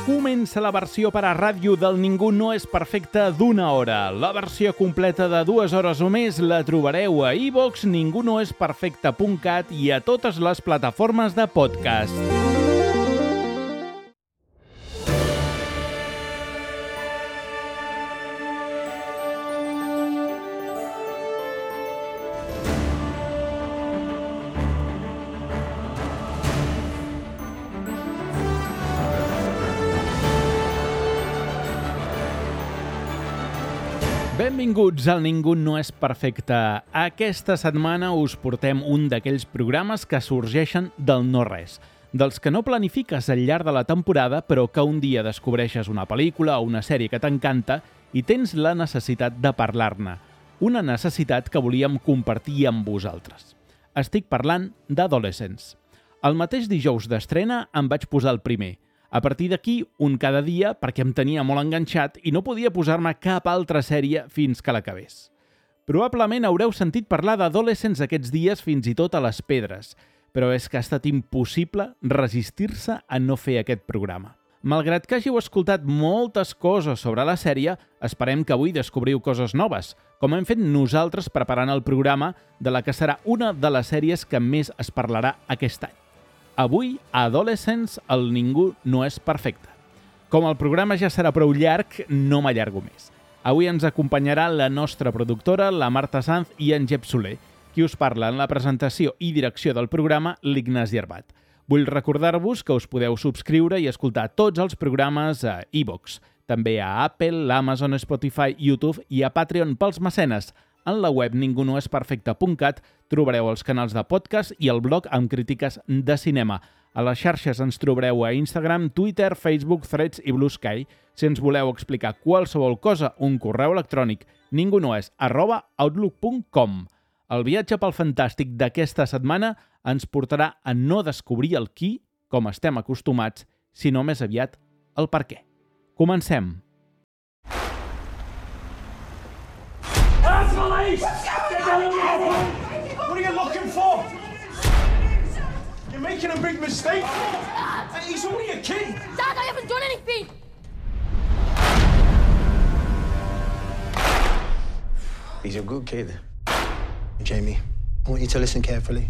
Comença la versió per a ràdio del Ningú no és perfecte d'1 hora. La versió completa de 2 hores o més la trobareu a iVoox, ningunoesperfecte.cat i a totes les plataformes de podcast. Benvinguts al Ningú no és perfecte. Aquesta setmana us portem un d'aquells programes que sorgeixen del no-res, dels que no planifiques al llarg de la temporada, però que un dia descobreixes una pel·lícula o una sèrie que t'encanta i tens la necessitat de parlar-ne. Una necessitat que volíem compartir amb vosaltres. Estic parlant d'Adolescents. El mateix dijous d'estrena em vaig posar el primer. A partir d'aquí, un cada dia, perquè em tenia molt enganxat i no podia posar-me cap altra sèrie fins que l'acabés. Probablement haureu sentit parlar d'Adolescents aquests dies fins i tot a les pedres, però és que ha estat impossible resistir-se a no fer aquest programa. Malgrat que hàgiu escoltat moltes coses sobre la sèrie, esperem que avui descobriu coses noves, com hem fet nosaltres preparant el programa de la que serà una de les sèries que més es parlarà aquest any. Avui, a Adolescents, el Ningú no és perfecte. Com el programa ja serà prou llarg, no m'allargo més. Avui ens acompanyarà la nostra productora, la Marta Sanz i en Jep Soler, qui us parla en la presentació i direcció del programa, l'Ignasi Arbat. Vull recordar-vos que us podeu subscriure i escoltar tots els programes a iVoox, també a Apple, Amazon, Spotify, YouTube i a Patreon pels mecenes. En la web ningunoesperfecte.cat trobareu els canals de podcast i el blog amb crítiques de cinema. A les xarxes ens trobareu a Instagram, Twitter, Facebook, Threads i Blue Sky. Si ens voleu explicar qualsevol cosa, un correu electrònic ningunoes@outlook.com. El viatge pel fantàstic d'aquesta setmana ens portarà a no descobrir el qui, com estem acostumats, sinó més aviat el per què. Comencem! Police! Get down on the phone! What are you looking for? You're making a big mistake. He's only a kid. Dad, I haven't done anything. He's a good kid. Jamie, I want you to listen carefully.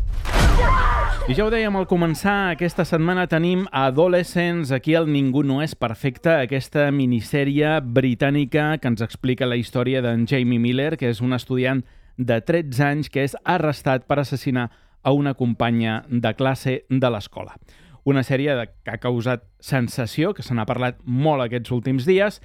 I ja ho dèiem al començar, aquesta setmana tenim Adolescents, aquí al Ningú no és perfecte, aquesta minissèrie britànica que ens explica la història d'en Jamie Miller, que és un estudiant de 13 anys que és arrestat per assassinar a una companya de classe de l'escola. Una sèrie que ha causat sensació, que se n'ha parlat molt aquests últims dies,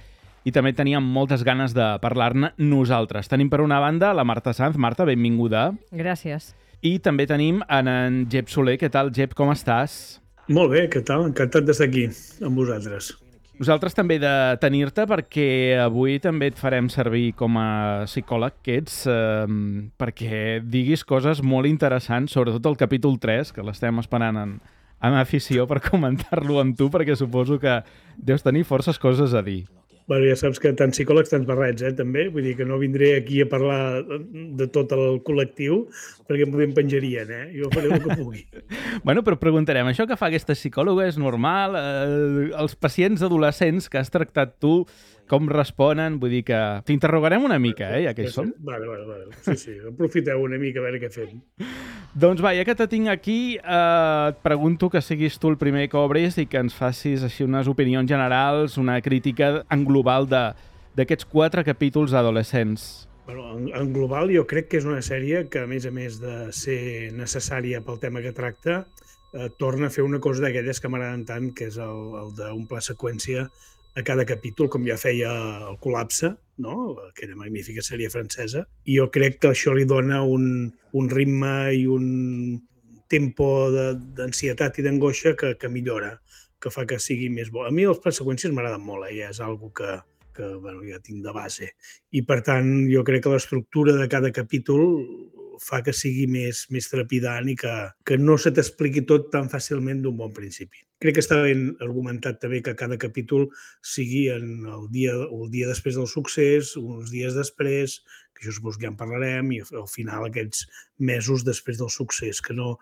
i també teníem moltes ganes de parlar-ne nosaltres. Tenim per una banda la Marta Sanz. Marta, benvinguda. Gràcies. I també tenim en Jep Soler. Què tal, Jep? Com estàs? Molt bé, què tal? Encantat d'estar aquí amb vosaltres. Nosaltres també de tenir-te perquè avui també et farem servir com a psicòleg que ets perquè diguis coses molt interessants, sobretot el capítol 3, que l'estem esperant amb afició per comentar-lo amb tu, perquè suposo que deus tenir forces coses a dir. Bueno, ja saps que tant psicòlegs, tants barrets, també. Vull dir que no vindré aquí a parlar de tot el col·lectiu perquè em penjarien, Jo faré el que pugui. Bueno, però preguntarem, això que fa aquesta psicòloga és normal? Els pacients adolescents que has tractat tu, com responen? Vull dir que t'interrogarem una mica, ja que hi som. Vale. Sí, aprofiteu una mica a veure què fem. Doncs va, ja que te tinc aquí, et pregunto que siguis tu el primer que obris i que ens facis així unes opinions generals, una crítica en global d'aquests 4 capítols adolescents. Bueno, en global jo crec que és una sèrie que, a més de ser necessària pel tema que tracta, torna a fer una cosa d'aquelles que m'agraden tant, que és el d'un pla seqüència a cada capítol, com ja feia el Col·lapse, no? Aquella magnífica sèrie francesa. I jo crec que això li dona un ritme i un tempo d'ansietat i d'angoixa que millora, que fa que sigui més bo. A mi els plans seqüències m'agraden molt, ja és algo que ja tinc de base. I, per tant, jo crec que l'estructura de cada capítol fa que sigui més trepidant i que no se t'expliqui tot tan fàcilment d'un bon principi. Crec que està ben argumentat també que cada capítol sigui el dia després del succés, uns dies després, que jo suposo que ja en parlarem, i al final aquests mesos després del succés, que no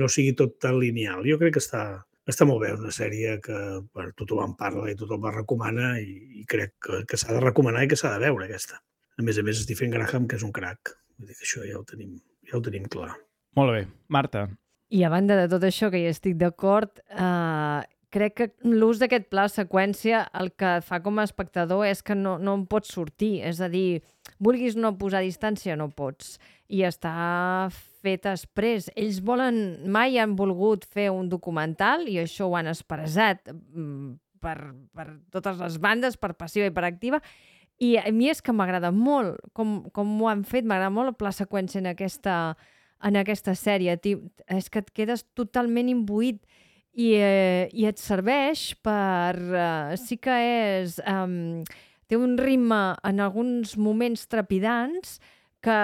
sigui tot tan lineal. Jo crec que està Està molt bé, una sèrie que tothom en parla i tothom la recomana i crec que s'ha de recomanar i que s'ha de veure, aquesta. A més, Stephen Graham, que és un crac. Vull dir que això ja ho tenim clar. Molt bé. Marta. I a banda de tot això, que hi estic d'acord, crec que l'ús d'aquest pla seqüència el que fa com a espectador és que no en pots sortir. És a dir, vulguis no posar distància, no pots. I està fet exprés. Ells mai han volgut fer un documental i això ho han expressat per totes les bandes, per passiva i per activa. I a mi és que m'agrada molt com ho han fet, m'agrada molt el pla seqüència en aquesta sèrie. És que et quedes totalment imbuït i et serveix per... sí que és... té un ritme en alguns moments trepidants que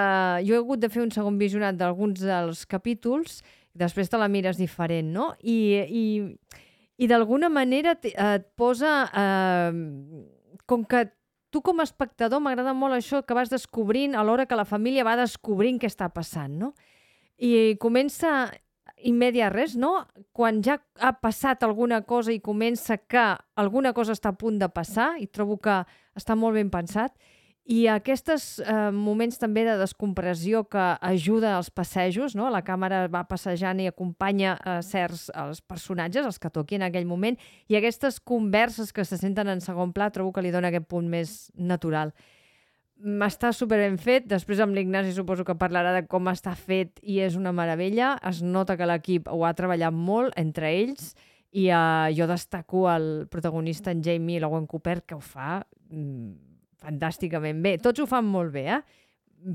jo he hagut de fer un segon visionat d'alguns dels capítols i després te la mires diferent, no? I d'alguna manera et posa... com que tu com a espectador m'agrada molt això que vas descobrint a l'hora que la família va descobrint què està passant, no? I comença immediat res, no? Quan ja ha passat alguna cosa i comença que alguna cosa està a punt de passar, i trobo que està molt ben pensat, i aquests moments també de descompressió que ajuda als passejos, no? La càmera va passejant i acompanya els personatges, els que toqui en aquell moment, i aquestes converses que se senten en segon pla trobo que li dona aquest punt més natural. Està super ben fet, després amb l'Ignasi suposo que parlarà de com està fet i és una meravella, es nota que l'equip ho ha treballat molt entre ells i jo destaco el protagonista, en Jamie Logan Cooper, que ho fa fantàsticament bé. Tots ho fan molt bé,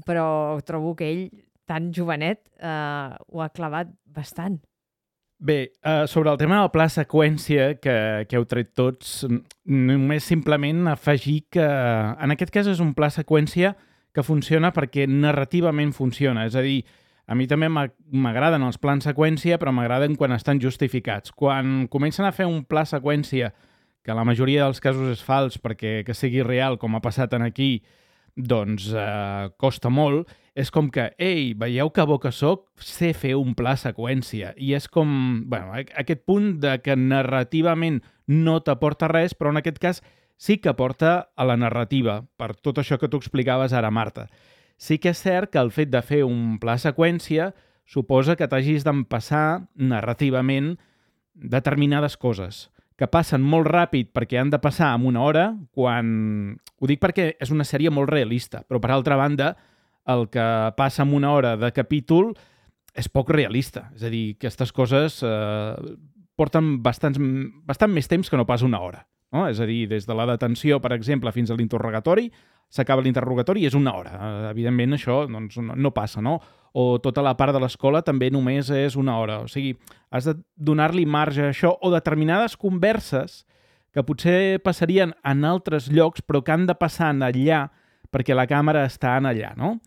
però trobo que ell, tan jovenet, ho ha clavat bastant. Bé, sobre el tema del pla seqüència que heu tret tots, només simplement afegir que en aquest cas és un pla seqüència que funciona perquè narrativament funciona. És a dir, a mi també m'agraden els plans seqüència, però m'agraden quan estan justificats. Quan comencen a fer un pla seqüència que la majoria dels casos és fals perquè que sigui real, com ha passat en aquí, doncs costa molt, és com que, ei, veieu que bo que soc, sé fer un pla seqüència. I és com, bueno, aquest punt de que narrativament no t'aporta res, però en aquest cas sí que aporta a la narrativa, per tot això que tu explicaves ara, Marta. Sí que és cert que el fet de fer un pla seqüència suposa que t'hagis d'empassar narrativament determinades coses que passen molt ràpid perquè han de passar en una hora, quan... Ho dic perquè és una sèrie molt realista, però per altra banda, el que passa en una hora de capítol és poc realista. És a dir, aquestes coses porten bastant més temps que no pas una hora. No? És a dir, des de la detenció, per exemple, fins a l'interrogatori, s'acaba l'interrogatori i és una hora. Evidentment, això doncs, no passa, no? O tota la part de l'escola també només és una hora. O sigui, has de donar-li marge a això o determinades converses que potser passarien en altres llocs però que han de passar allà perquè la càmera està allà, no?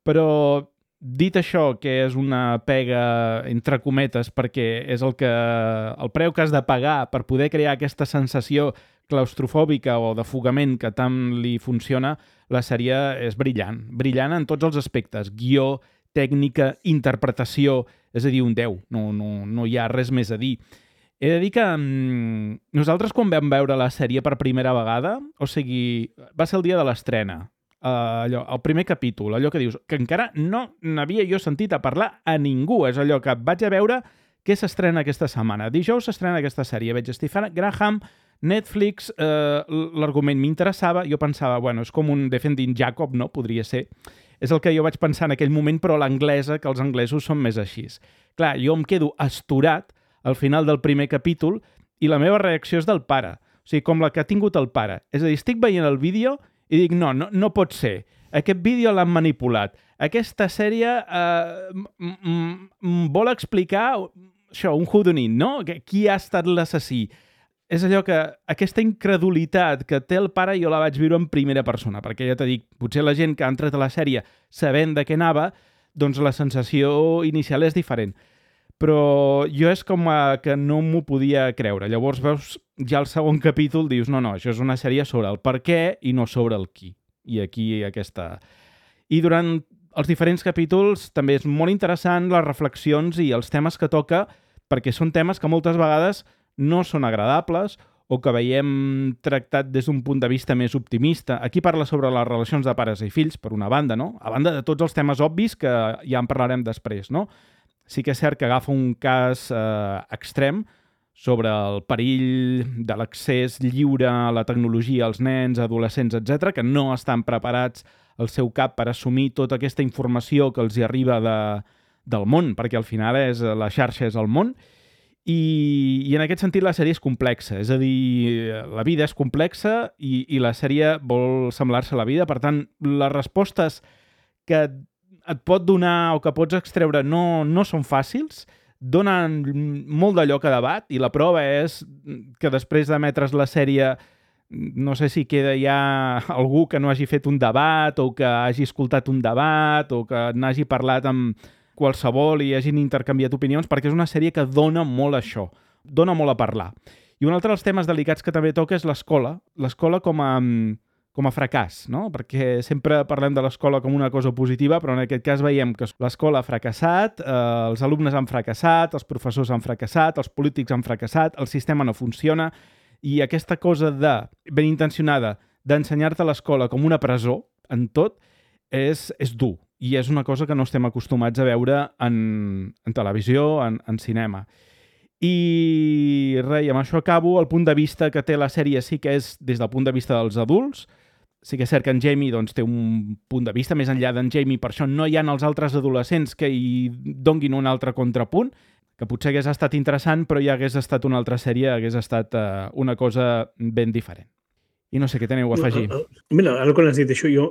Però dit això, que és una pega entre cometes perquè és el preu que has de pagar per poder crear aquesta sensació claustrofòbica o d'afogament que tant li funciona, la sèrie és brillant. Brillant en tots els aspectes. Guió, tècnica, interpretació, és a dir, un 10. No hi ha res més a dir. He de dir que nosaltres quan vam veure la sèrie per primera vegada, o sigui, va ser el dia de l'estrena, el primer capítol, allò que dius, que encara no n'havia jo sentit a parlar a ningú, és allò que vaig a veure què s'estrena aquesta setmana. Dijous s'estrena aquesta sèrie, veig Stephen Graham, Netflix, l'argument m'interessava, jo pensava, bueno, és com un Defending Jacob, no? Podria ser. És el que jo vaig pensar en aquell moment, però l'anglesa, que els anglesos són més així. Clar, jo em quedo astorat al final del primer capítol i la meva reacció és del pare. O sigui, com la que ha tingut el pare. És a dir, estic veient el vídeo i dic, no pot ser. Aquest vídeo l'han manipulat. Aquesta sèrie vol explicar això, un whodunit, no? Qui ha estat l'assassí? És allò que aquesta incredulitat que té el pare jo la vaig viure en primera persona, perquè ja t'he dit, potser la gent que ha entrat a la sèrie sabent de què anava, doncs la sensació inicial és diferent. Però jo és com que no m'ho podia creure. Llavors veus ja el segon capítol, dius, no, això és una sèrie sobre el per què i no sobre el qui. I aquí aquesta... I durant els diferents capítols també és molt interessant les reflexions i els temes que toca, perquè són temes que moltes vegades no són agradables o que veiem tractat des d'un punt de vista més optimista. Aquí parla sobre les relacions de pares i fills, per una banda, no? A banda de tots els temes obvis que ja en parlarem després, no? Sí que és cert que agafa un cas extrem sobre el perill de l'accés lliure a la tecnologia als nens, adolescents, etc, que no estan preparats al seu cap per assumir tota aquesta informació que els hi arriba del món, perquè al final la xarxa és el món, i en aquest sentit la sèrie és complexa, és a dir, la vida és complexa i la sèrie vol semblar-se a la vida, per tant, les respostes que et pot donar o que pots extreure no són fàcils, donen molt de lloc a debat, i la prova és que després d'emetre's la sèrie no sé si queda ja algú que no hagi fet un debat o que hagi escoltat un debat o que n'hagi parlat amb qualsevol i hagin intercanviat opinions, perquè és una sèrie que dona molt això, dona molt a parlar. I un altre dels temes delicats que també toca és l'escola com a fracàs, no? Perquè sempre parlem de l'escola com una cosa positiva, però en aquest cas veiem que l'escola ha fracassat, els alumnes han fracassat, els professors han fracassat, els polítics han fracassat, el sistema no funciona, i aquesta cosa ben intencionada d'ensenyar-te l'escola com una presó en tot és dur. I és una cosa que no estem acostumats a veure en televisió, en cinema. I res, amb això acabo. El punt de vista que té la sèrie sí que és des del punt de vista dels adults. Sí que és cert que en Jamie té un punt de vista més enllà d'en Jamie, per això no hi ha els altres adolescents que hi donguin un altre contrapunt, que potser hagués estat interessant, però ja hagués estat una altra sèrie, hagués estat una cosa ben diferent. I no sé què teniu a afegir. Mira, ara quan has dit això, jo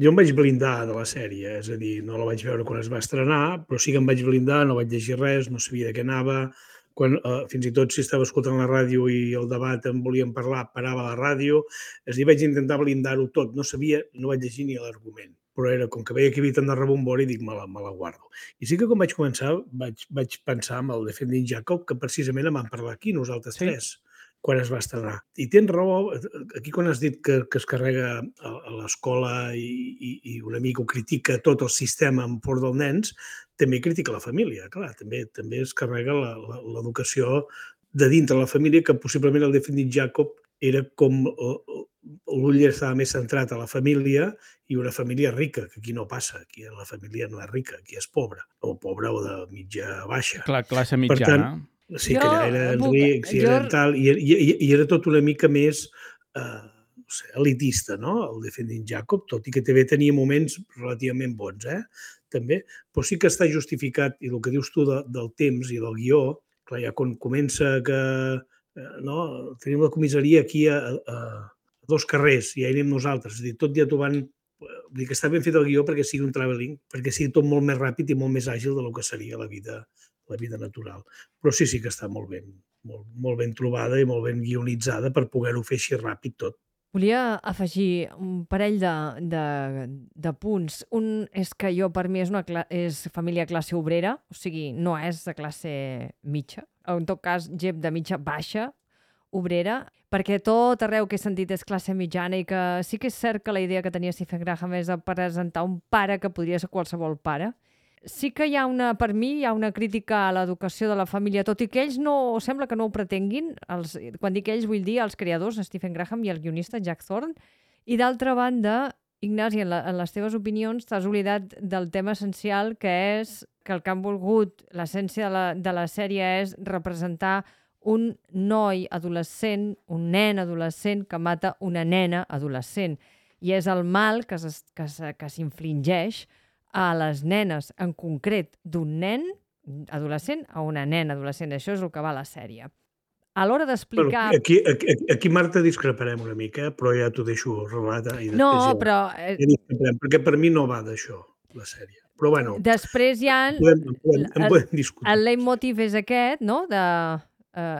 em vaig blindar de la sèrie, és a dir, no la vaig veure quan es va estrenar, però sí que em vaig blindar, no vaig llegir res, no sabia de què anava, quan fins i tot si estava escoltant la ràdio i el debat en volíem parlar, parava la ràdio, és a dir, vaig intentar blindar-ho tot, no sabia, no vaig llegir ni l'argument, però era com que veia que hi havia tant de rebombori i dic, me la guardo. I sí que quan vaig començar vaig pensar en el Defending Jacob, que precisament en vam parlar aquí, nosaltres tres, quan es va estrenar. I tens raó, aquí quan has dit que es carrega a l'escola i una mica ho critica tot el sistema en favor dels nens, també critica la família, clar, també es carrega l'educació de dintre la família, que possiblement el Defending Jacob era com l'ull estava més centrat a la família i una família rica, que aquí no passa, aquí la família no és rica, aquí és pobra, o pobra o de mitja baixa. Clar, classe mitjana. Per tant, sí, que allà era ric, i era tot una mica més elitista, no?, el Defending Jacob, tot i que també tenia moments relativament bons, també, però sí que està justificat, i el que dius tu del temps i del guió, clar, ja quan comença que tenim la comissaria aquí a 2 carrers i ja hi anem nosaltres, és a dir, tot ja t'ho van... Vull dir que està ben fet el guió perquè sigui un travelling, perquè sigui tot molt més ràpid i molt més àgil del que seria la vida natural. Però sí que està molt ben trobada i molt ben guionitzada per poder-ho fer així ràpid tot. Volia afegir un parell de punts. Un és que per mi és família classe obrera, o sigui, no és de classe mitja, en tot cas, gent de mitja baixa, obrera, perquè tot arreu que he sentit és classe mitjana i que sí que és cert que la idea que tenia Stephen Graham és de presentar un pare que podria ser qualsevol pare. Sí que per mi hi ha una crítica a l'educació de la família, tot i que ells sembla que no ho pretenguin. Quan dic ells vull dir els creadors, Stephen Graham i el guionista Jack Thorne. I d'altra banda, Ignasi, en les teves opinions t'has oblidat del tema essencial, que és que el que han volgut, l'essència de la sèrie és representar un noi adolescent, un nen adolescent que mata una nena adolescent. I és el mal que s'infligeix a les nenes, en concret d'un nen adolescent a una nena adolescent. Això és el que va a la sèrie. A l'hora d'explicar... Aquí, Marta, discreparem una mica, però ja t'ho deixo relata. No, però... Perquè per mi no va d'això, la sèrie. Però bueno... Després hi ha... En podem discutir. El leitmotiv és aquest, no?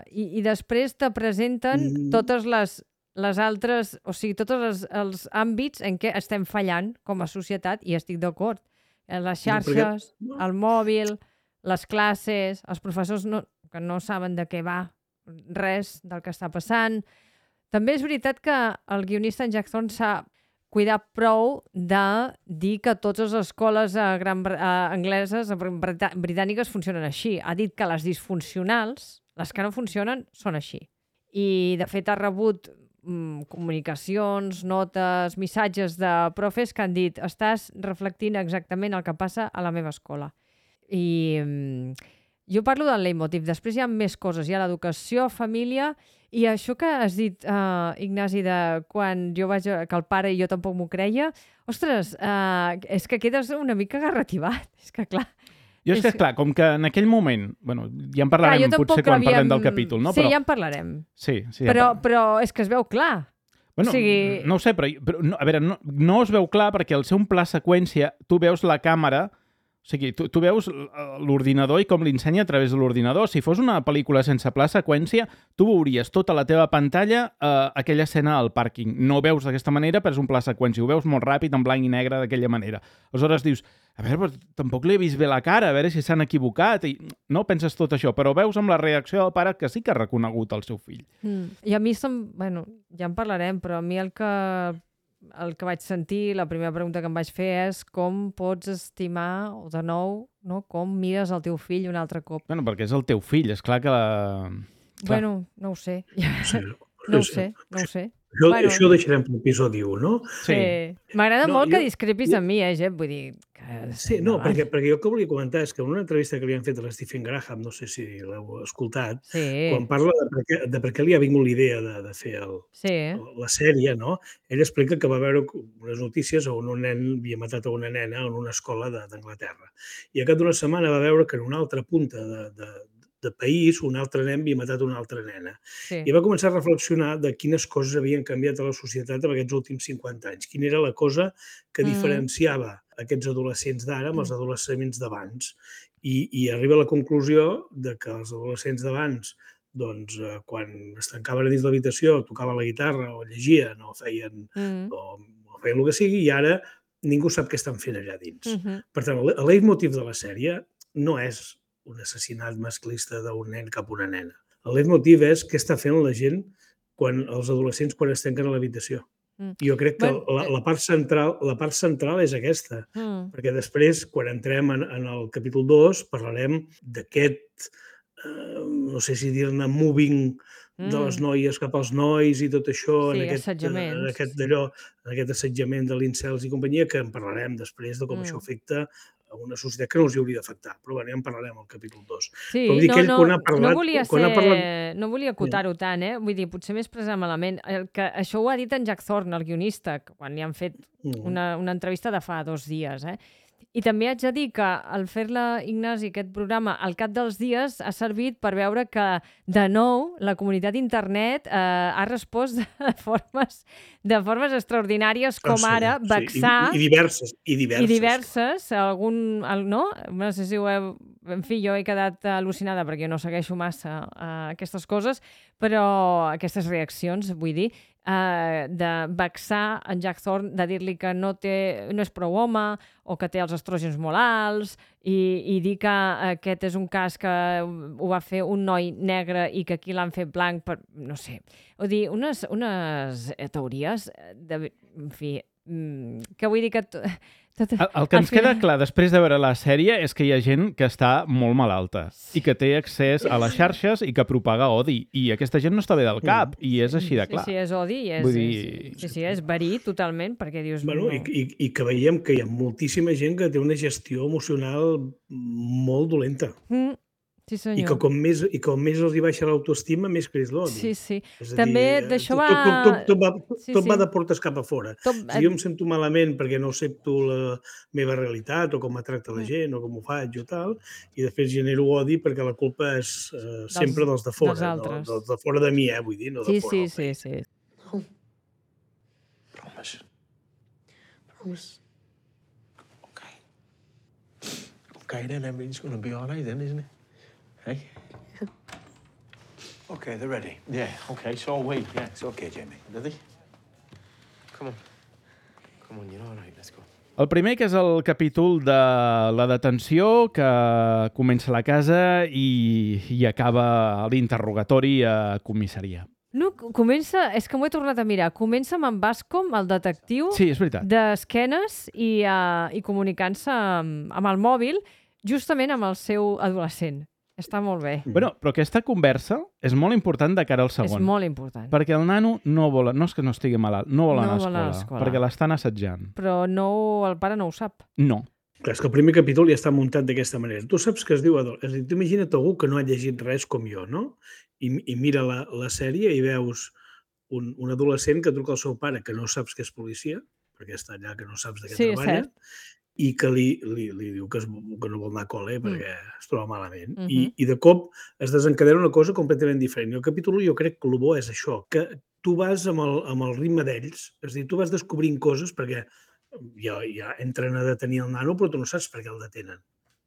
I després te presenten totes les altres... O sigui, tots els àmbits en què estem fallant com a societat, i estic d'acord. Les xarxes, el mòbil, les classes, els professors que no saben de què va res del que està passant. També és veritat que el guionista en Jack Thorne s'ha cuidat prou de dir que totes les escoles angleses, britàniques, funcionen així. Ha dit que les disfuncionals, Les que no funcionen són així. I, de fet, ha rebut comunicacions, notes, missatges de profes que han dit estàs reflectint exactament el que passa a la meva escola. I jo parlo del leitmotiv. Després hi ha més coses. Hi ha l'educació, família, i això que has dit, Ignasi, de quan jo vaig... que el pare i jo tampoc m'ho creia, ostres, és que quedes una mica garrativat. És que, clar... Jo és que, clar, com que en aquell moment... Bueno, ja en parlarem potser quan parlem del capítol, no? Sí, ja en parlarem. Sí, però és que es veu clar. Bueno, no ho sé, però no, a veure, no es veu clar perquè al ser un pla seqüència tu veus la càmera, o sigui, tu veus l'ordinador i com l'ensenya a través de l'ordinador. Si fos una pel·lícula sense pla seqüència, tu veuries tota la teva pantalla aquella escena al pàrquing. No ho veus d'aquesta manera, però és un pla seqüència. Ho veus molt ràpid, en blanc i negre, d'aquella manera. Aleshores dius, a veure, però tampoc li he vist bé la cara, a veure si s'han equivocat. I no penses tot això, però veus amb la reacció del pare que sí que ha reconegut el seu fill. I a mi, bueno, ja en parlarem, però a mi el que vaig sentir, la primera pregunta que em vaig fer és com pots estimar, o de nou, no? Com mires el teu fill un altre cop. Bueno, perquè és el teu fill, és clar que Bueno, no ho sé. Sí, no ho sé. Això ho deixarem per l'episodi 1, no? Sí. M'agrada molt que discrepis amb mi, Jep? Vull dir... Sí, no, perquè jo el que volia comentar és que en una entrevista que li han fet a l'Stephen Graham, no sé si l'heu escoltat, quan parla de per què li ha vingut l'idea de fer la sèrie, no? Ell explica que va veure unes notícies on un nen havia matat a una nena en una escola d'Anglaterra. I al cap d'una setmana va veure que en una altra punta de país un altre nen havia matat una altra nena. I va començar a reflexionar de quines coses havien canviat a la societat en aquests últims 50 anys. Quina era la cosa que diferenciava aquests adolescents d'ara amb els adolescents d'abans. I arriba a la conclusió de que els adolescents d'abans, doncs, quan es tancaven a dins l'habitació, tocaven la guitarra o llegien o feien el que sigui, i ara ningú sap què estan fent allà dins. Per tant, el leitmotiv de la sèrie no és un assassinat masclista d'un nen cap a una nena. El leitmotiv és què està fent la gent, els adolescents, quan es tanquen a l'habitació. Jo crec que la part central és aquesta, perquè després, quan entrem en el capítol 2, parlarem d'aquest, no sé si dir-ne moving de les noies cap als nois i tot això, en aquest assetjament de l'incels i companyia, que en parlarem després de com això afecta a una societat que no els hauria d'afectar. Però bé, ja en parlarem al capítol 2. Sí, no volia acotar-ho tant, Vull dir, potser m'he expressat malament. Això ho ha dit en Jack Thorne, el guionista, quan li han fet una entrevista de fa 2 dies, I també haig de dir que al fer-la, Ignasi, aquest programa, al cap dels dies ha servit per veure que, de nou, la comunitat d'internet ha respost de formes extraordinàries, com ara vexar... I diverses. No? No sé si ho heu... En fi, jo he quedat al·lucinada perquè no segueixo massa aquestes coses, però aquestes reaccions, vull dir, de vexar en Jack Thorne, de dir-li que no és prou home o que té els estrògens molt alts i dir que aquest és un cas que ho va fer un noi negre i que aquí l'han fet blanc per... no sé. Vull dir, unes teories, en fi, que vull dir que... El que ens queda clar després de veure la sèrie és que hi ha gent que està molt malalta i que té accés a les xarxes i que propaga odi. I aquesta gent no està bé del cap i és així de clar. Sí, és odi i és verí totalment, perquè dius... I que veiem que hi ha moltíssima gent que té una gestió emocional molt dolenta. Sí, senyor. I que com més els hi baixa l'autoestima, més creix l'odi. Sí. També d'això va... Tot va de portes cap a fora. Si jo em sento malament perquè no accepto la meva realitat o com me tracta la gent o com ho faig o tal, i després genero odi perquè la culpa és sempre dels de fora. Dels de fora de mi, vull dir, no de fora. Sí. No. Promise. Okay, then everything's going to be all right then, isn't it? Hey? Yeah. Okay, they're ready. Yeah, okay, so wait. Yeah, it's okay, Jamie. Ready? Come on, you're all right, let's go. El primer, que és el capítol de la detenció, que comença a la casa i acaba l'interrogatori a comissaria. No, comença... És que m'ho he tornat a mirar. Comença amb en Bascom, el detectiu, sí, és veritat, d'esquenes i comunicant-se amb el mòbil, justament amb el seu adolescent. Està molt bé. Bueno, però aquesta conversa és molt important de cara al És segon. molt important. Perquè el nano no vol, no és que no estigui malalt, no vol anar No vol anar a a l'escola, l'escola. perquè l'estan assetjant. Però el pare no ho sap. No. Clar, és que el primer capítol ja està muntat d'aquesta manera. Tu saps que es diu adult. És a dir, tu imagina't algú que no ha llegit res com jo, no? I mira la sèrie i veus un adolescent que truca al seu pare que no saps que és policia, perquè està allà que no saps de què Sí, és treballa, cert. i que li diu que no vol anar a col·le perquè es troba malament. Mhm. I de cop es desencadena una cosa completament diferent. I el capítol 1 jo crec que el bo és això, que tu vas amb el ritme d'ells, és a dir, tu vas descobrint coses perquè ja entren a detenir el nano, però tu no saps per què el detenen.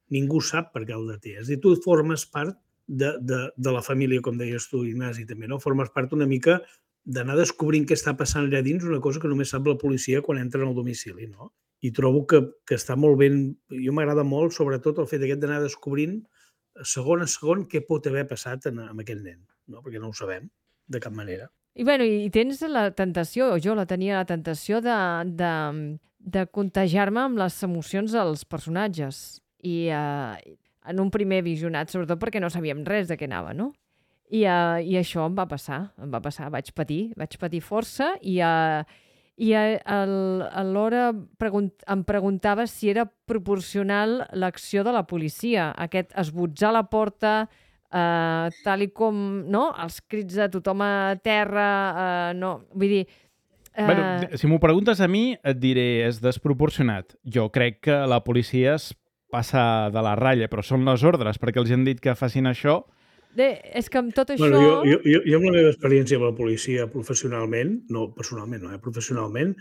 Ningú sap per què el deté. És a dir, tu formes part de la família, com deies tu, Ignasi, també, no? Formes part una mica d'anar descobrint què està passant allà dins, una cosa que només sap la policia quan entren al domicili, no? I trobo que està molt ben... Jo m'agrada molt, sobretot, el fet aquest d'anar descobrint segon a segon què pot haver passat amb aquest nen, no? Perquè no ho sabem, de cap manera. I bueno, i tens la tentació, o jo la tenia la tentació de contagiar-me amb les emocions dels personatges. I en un primer visionat, sobretot perquè no sabíem res de què anava, no? I això em va passar, vaig patir força i alhora em preguntava si era proporcional l'acció de la policia, aquest esbotzar la porta, tal i com, no? Els crits de tothom a terra, no, vull dir... Bueno, si m'ho preguntes a mi, et diré, és desproporcionat. Jo crec que la policia es passa de la ratlla, però són les ordres, perquè els han dit que facin això. És que amb tot això... Bueno, jo amb la meva experiència amb la policia professionalment, no personalment, no, professionalment,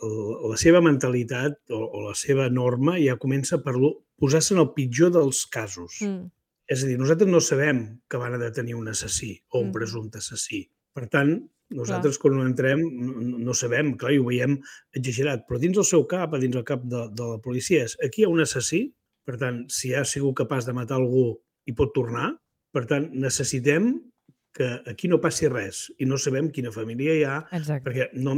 la seva mentalitat o la seva norma ja comença per posar-se en el pitjor dels casos. És a dir, nosaltres no sabem que van a detenir un assassí o un presumpte assassí. Per tant, nosaltres quan entrem no sabem, clar, i ho veiem exagerat, però dins el seu cap, dins el cap de la policia, aquí hi ha un assassí, per tant, si ha sigut capaç de matar algú i pot tornar, per tant, necessitem que aquí no passi res i no sabem quina família hi ha, perquè no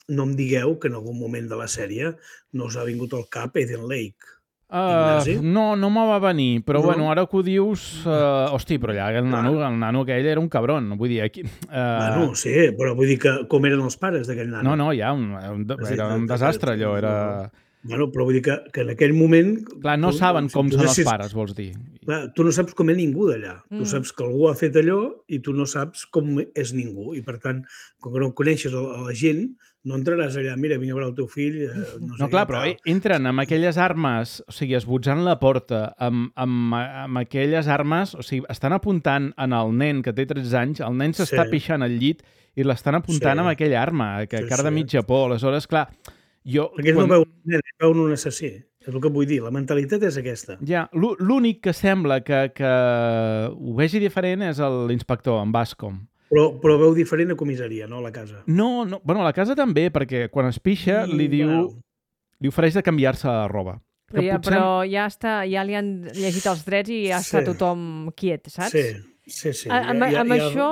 em digueu que en algun moment de la sèrie no us ha vingut al cap Eden Lake. No me va venir, però bueno, ara que ho dius... Hosti, però allà el nano aquell era un cabron, vull dir... Bueno, sí, però vull dir que com eren els pares d'aquell nano? No, ja, era un desastre allò, era... Bueno, però vull dir que en aquell moment... Clar, no saben com són els pares, vols dir. Clar, tu no saps com és ningú d'allà. Tu saps que algú ha fet allò i tu no saps com és ningú. I, per tant, com que no coneixes a la gent, no entraràs allà, mira, vinc a veure el teu fill... No, clar, però entren amb aquelles armes, o sigui, esbotzant la porta, amb aquelles armes, o sigui, estan apuntant en el nen que té 13 anys, el nen s'està pixant al llit i l'estan apuntant amb aquella arma, que cara de mitja por. Aleshores, clar... Perquè no veuen un assassí, és el que vull dir, la mentalitat és aquesta. Ja, l'únic que sembla que ho vegi diferent és l'inspector, en Bascom. Però veu diferent a comissaria, no a la casa? No, bueno, a la casa també, perquè quan es pixa li ofereix de canviar-se la roba. Però ja li han llegit els drets i ja està tothom quiet, saps? Sí. Amb això,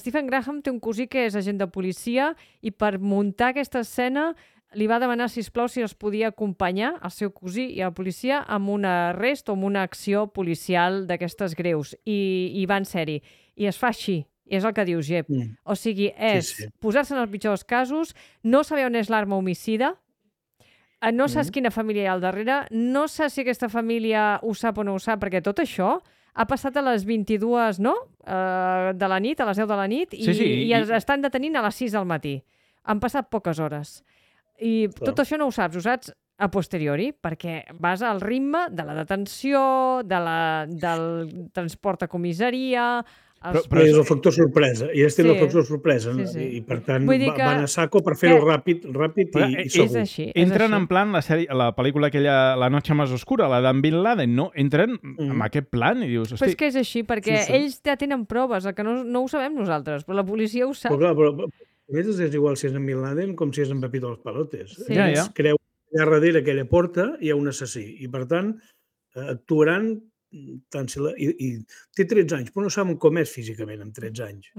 Stephen Graham té un cosí que és agent de policia i per muntar aquesta escena li va demanar, sisplau, si els podia acompanyar, el seu cosí i la policia, amb un arrest o amb una acció policial d'aquestes greus. I van ser-hi. I es fa així. I és el que diu Jep. O sigui, és posar-se en el pitjor dels casos, no saber on és l'arma homicida, no saps quina família hi ha al darrere, no saps si aquesta família ho sap o no ho sap, perquè tot això ha passat a les 22, no? De la nit, a les 10 de la nit, i estan detenint a les 6 del matí. Han passat poques hores. I tot això no ho saps a posteriori, perquè vas al ritme de la detenció, del transport a comissaria... Però és el factor sorpresa, i el factor sorpresa, i per tant van a saco per fer-ho ràpid i segur. És així. Entren en plan la pel·lícula aquella, La noche más oscura, la d'en Bin Laden, no? Entren amb aquest plan i dius... Però és que és així, perquè ells ja tenen proves, el que no ho sabem nosaltres, però la policia ho sap. Però a més és igual si és en Bin Laden com si és en Pepito los Palotes. Ells creuen que allà darrere aquella porta hi ha un assassí, i per tant actuaran... I té 13 anys, però no saben com és físicament amb 13 anys.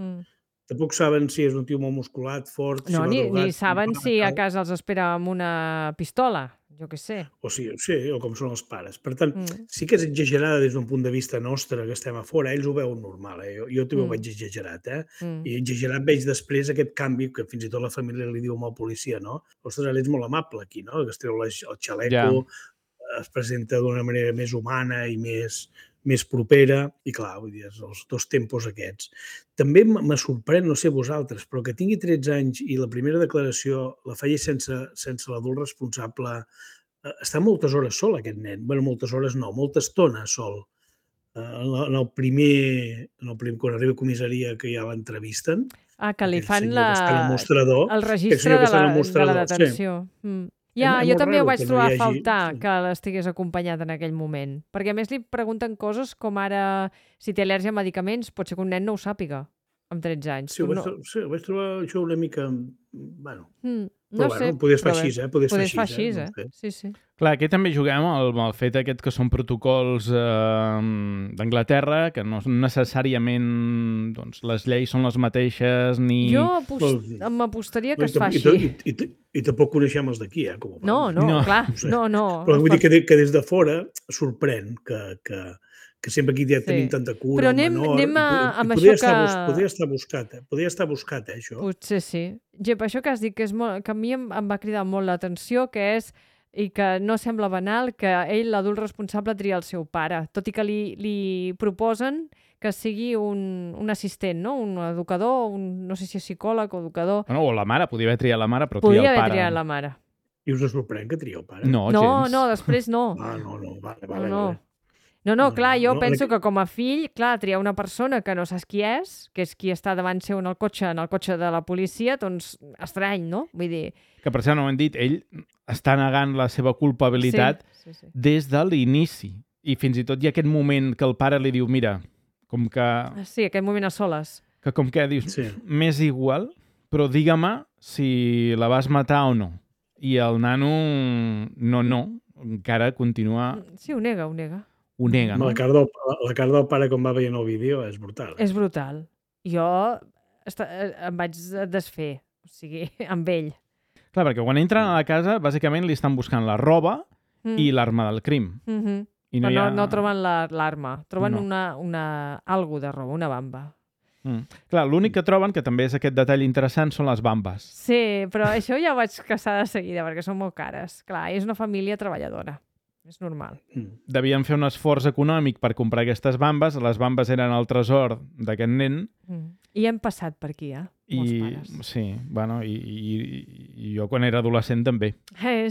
Tampoc saben si és un tio molt musculat, fort... No, ni saben si a casa els espera amb una pistola. jo què sé. O sí, o com són els pares. Per tant, sí que és exagerada des d'un punt de vista nostre, que estem a fora. Ells ho veuen normal, Jo també ho veig exagerat, I exagerat veig després aquest canvi, que fins i tot la família li diu al policia, no? Ostres, ell és molt amable aquí, no? Que es treu el xaleco, es presenta d'una manera més humana i més propera, i clar, vull dir, els dos tempos aquests. També me sorprèn, no sé vosaltres, però que tingui 13 anys i la primera declaració la feia sense l'adult responsable. Està moltes hores sol, aquest nen. Bé, moltes hores no, molta estona sol. En el primer, quan arriba a comissaria, que ja l'entrevisten, que li fan el registre de la detenció. Jo també ho vaig trobar a faltar que l'estigués acompanyat en aquell moment, perquè a més li pregunten coses com ara si té al·lèrgia a medicaments, pot ser que un nen no ho sàpiga amb 13 anys. Sí, ho vaig trobar això una mica... Bueno, no sé, podies fer així, Podies fer així, Sí. Clar, aquí també juguem amb el fet aquest que són protocols d'Anglaterra, que no necessàriament les lleis són les mateixes, ni... Jo m'apostaria que es fa així. I tampoc coneixem els d'aquí, com ho fan. No, clar, no. Però vull dir que des de fora sorprèn que sempre aquí ja tenim tanta cura. Però anem amb això que... Podria estar buscat, això. Potser sí. Gep, això que has dit, que a mi em va cridar molt l'atenció, que és, i que no sembla banal, que ell, l'adult responsable, tria el seu pare, tot i que li proposen que sigui un assistent, no? Un educador, no sé si és psicòleg o educador. O la mare, podia haver triat la mare, però tria el pare. Podia haver triat la mare. I us sorprèn que tria el pare? No, gens. No, després no. Vale. No, clar, jo penso que com a fill, clar, triar una persona que no saps qui és, que és qui està davant seu en el cotxe de la policia, doncs estrany, no? Vull dir... Que per cert, no ho hem dit, ell està negant la seva culpabilitat des de l'inici. I fins i tot hi ha aquest moment que el pare li diu, mira, com que... Sí, aquest moment a soles. Que com que dius, m'és igual, però digue-me si la vas matar o no. I el nano, no, encara continua... Sí, ho nega. Ho nega, no? La cara del pare quan va veient el vídeo és brutal. És brutal. Jo em vaig desfer, o sigui, amb ell. Clar, perquè quan entren a la casa, bàsicament li estan buscant la roba i l'arma del crim. I no troben l'arma, troben algo de roba, una bamba. Clar, l'únic que troben, que també és aquest detall interessant, són les bambes. Sí, però això ja ho vaig caçar de seguida, perquè són molt cares. Clar, és una família treballadora. És normal. Devien fer un esforç econòmic per comprar aquestes bambes. Les bambes eren el tresor d'aquest nen. I hem passat per aquí, molts pares. Sí, bueno, i jo quan era adolescent també.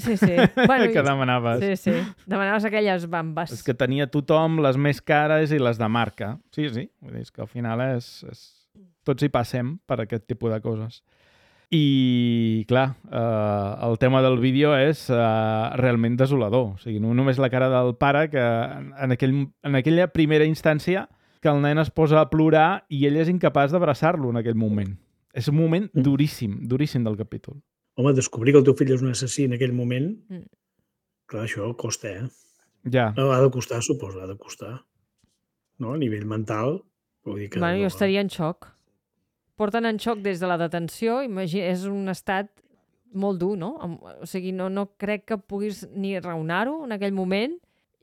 Sí. Bueno, que demanaves. Sí. Demanaves aquelles bambes. És que tenia tothom les més cares i les de marca. Sí. Vull dir, és que al final tots hi passem per aquest tipus de coses. I, clar, el tema del vídeo és realment desolador. O sigui, no només la cara del pare, que en aquella primera instància que el nen es posa a plorar i ell és incapaç d'abraçar-lo en aquell moment. És un moment duríssim del capítol. Home, descobrir que el teu fill és un assassí en aquell moment, clar, això costa, Ja. Ha de costar, suposo, ha de costar. No? A nivell mental, vull dir que... Bueno, jo estaria en xoc. Porten en xoc des de la detenció, és un estat molt dur, no? O sigui, no crec que puguis ni raonar-ho en aquell moment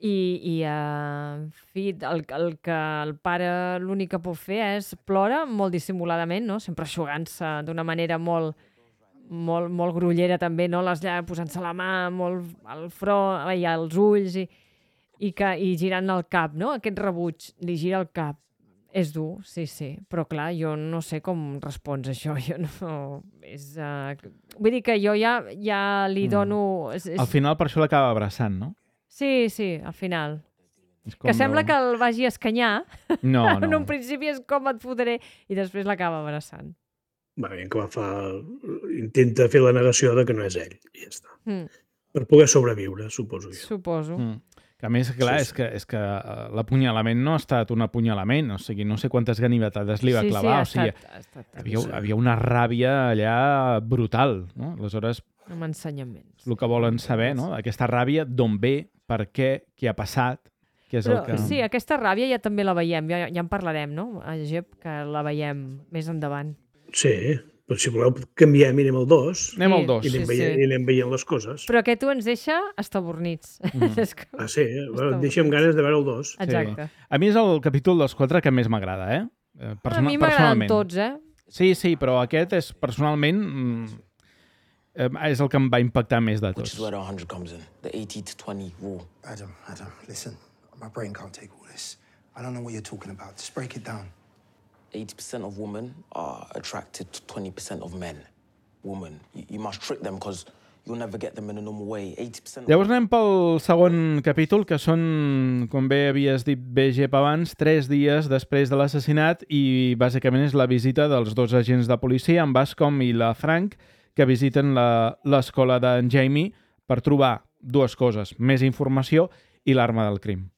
i en fi, el que el pare l'únic que pot fer és plora molt dissimuladament, no? Sempre eixugant-se d'una manera molt grollera també, no? Posant-se la mà molt al front i als ulls i girant el cap, no? Aquest rebuig, li gira el cap. És dur, sí, però clar, jo no sé com respons això, vull dir que jo ja li dono... Al final per això l'acaba abraçant, no? Sí, al final. Que sembla que el vagi a escanyar. No. En un principi és com et fotré i després l'acaba abraçant. Va bé, que intenta fer la negació de que no és ell, i ja està. Per poder sobreviure, suposo jo. Suposo. Que a més, clar, és que l'apunyalament no ha estat un apunyalament, o sigui, no sé quantes ganivetades li va clavar, o sigui, havia una ràbia allà brutal, no? Aleshores, amb ensenyaments. El que volen saber, no? Aquesta ràbia, d'on ve, per què ha passat, què és el que... Sí, aquesta ràbia ja també la veiem, ja en parlarem, no? Gep, que la veiem més endavant. Sí, Però si voleu canviem, anem al 2 Anem al Sí, 2. i sí, anem veient les coses. Però aquest ens deixa estabornits. És com... Sí, Està deixa'm bonic. ganes de veure el 2. Exacte. A mi és el capítol dels 4 que més m'agrada, A mi m'agraden personalment. tots, eh? Sí, però aquest és personalment és el que em va impactar més de Which is tots. where the 100 comes in. The 80-20 rule. Adam, listen. My brain can't take all this. I don't know what you're talking about. Just break it down. 80% of women are attracted to 20% of men. Women. You must trick them because you'll never get them in a normal way. 80%. Llavors anem pel segon capítol, que són, com bé havies dit bé, Gep, abans, 3 dies després de l'assassinat i bàsicament és la visita dels 2 agents de policia, en Bascom i la Frank, que visiten l'escola d'en Jamie per trobar 2 coses, més informació i l'arma del crim.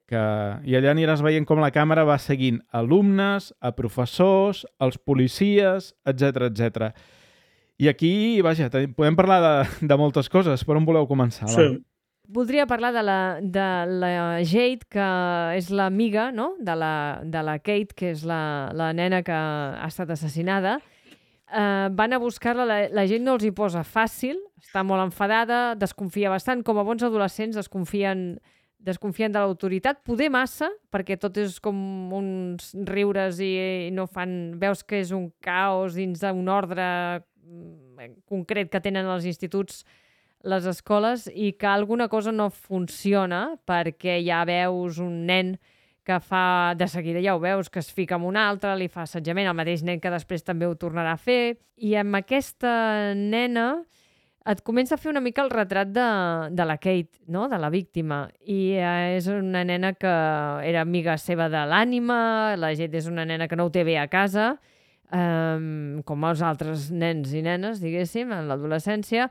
I allà aniràs veient com la càmera va seguint alumnes, a professors, als policies, etc. I aquí, vaja, podem parlar de moltes coses. Per on voleu començar? Sí. Voldria parlar de la Jade, que és l'amiga, no?, de la Kate, que és la nena que ha estat assassinada. Van a buscar-la, la gent no els hi posa fàcil, està molt enfadada, desconfia bastant, com a bons adolescents desconfien de l'autoritat, poder massa, perquè tot és com uns riures i no fan... Veus que és un caos dins d'un ordre concret que tenen els instituts, les escoles, i que alguna cosa no funciona perquè ja veus un nen que fa, de seguida ja ho veus, que es fica amb un altre, li fa assetjament, el mateix nen que després també ho tornarà a fer, i amb aquesta nena et comença a fer una mica el retrat de la Kate, no?, de la víctima, i és una nena que era amiga seva de l'ànima, la Jade és una nena que no ho té bé a casa, com els altres nens i nenes, diguéssim, en l'adolescència,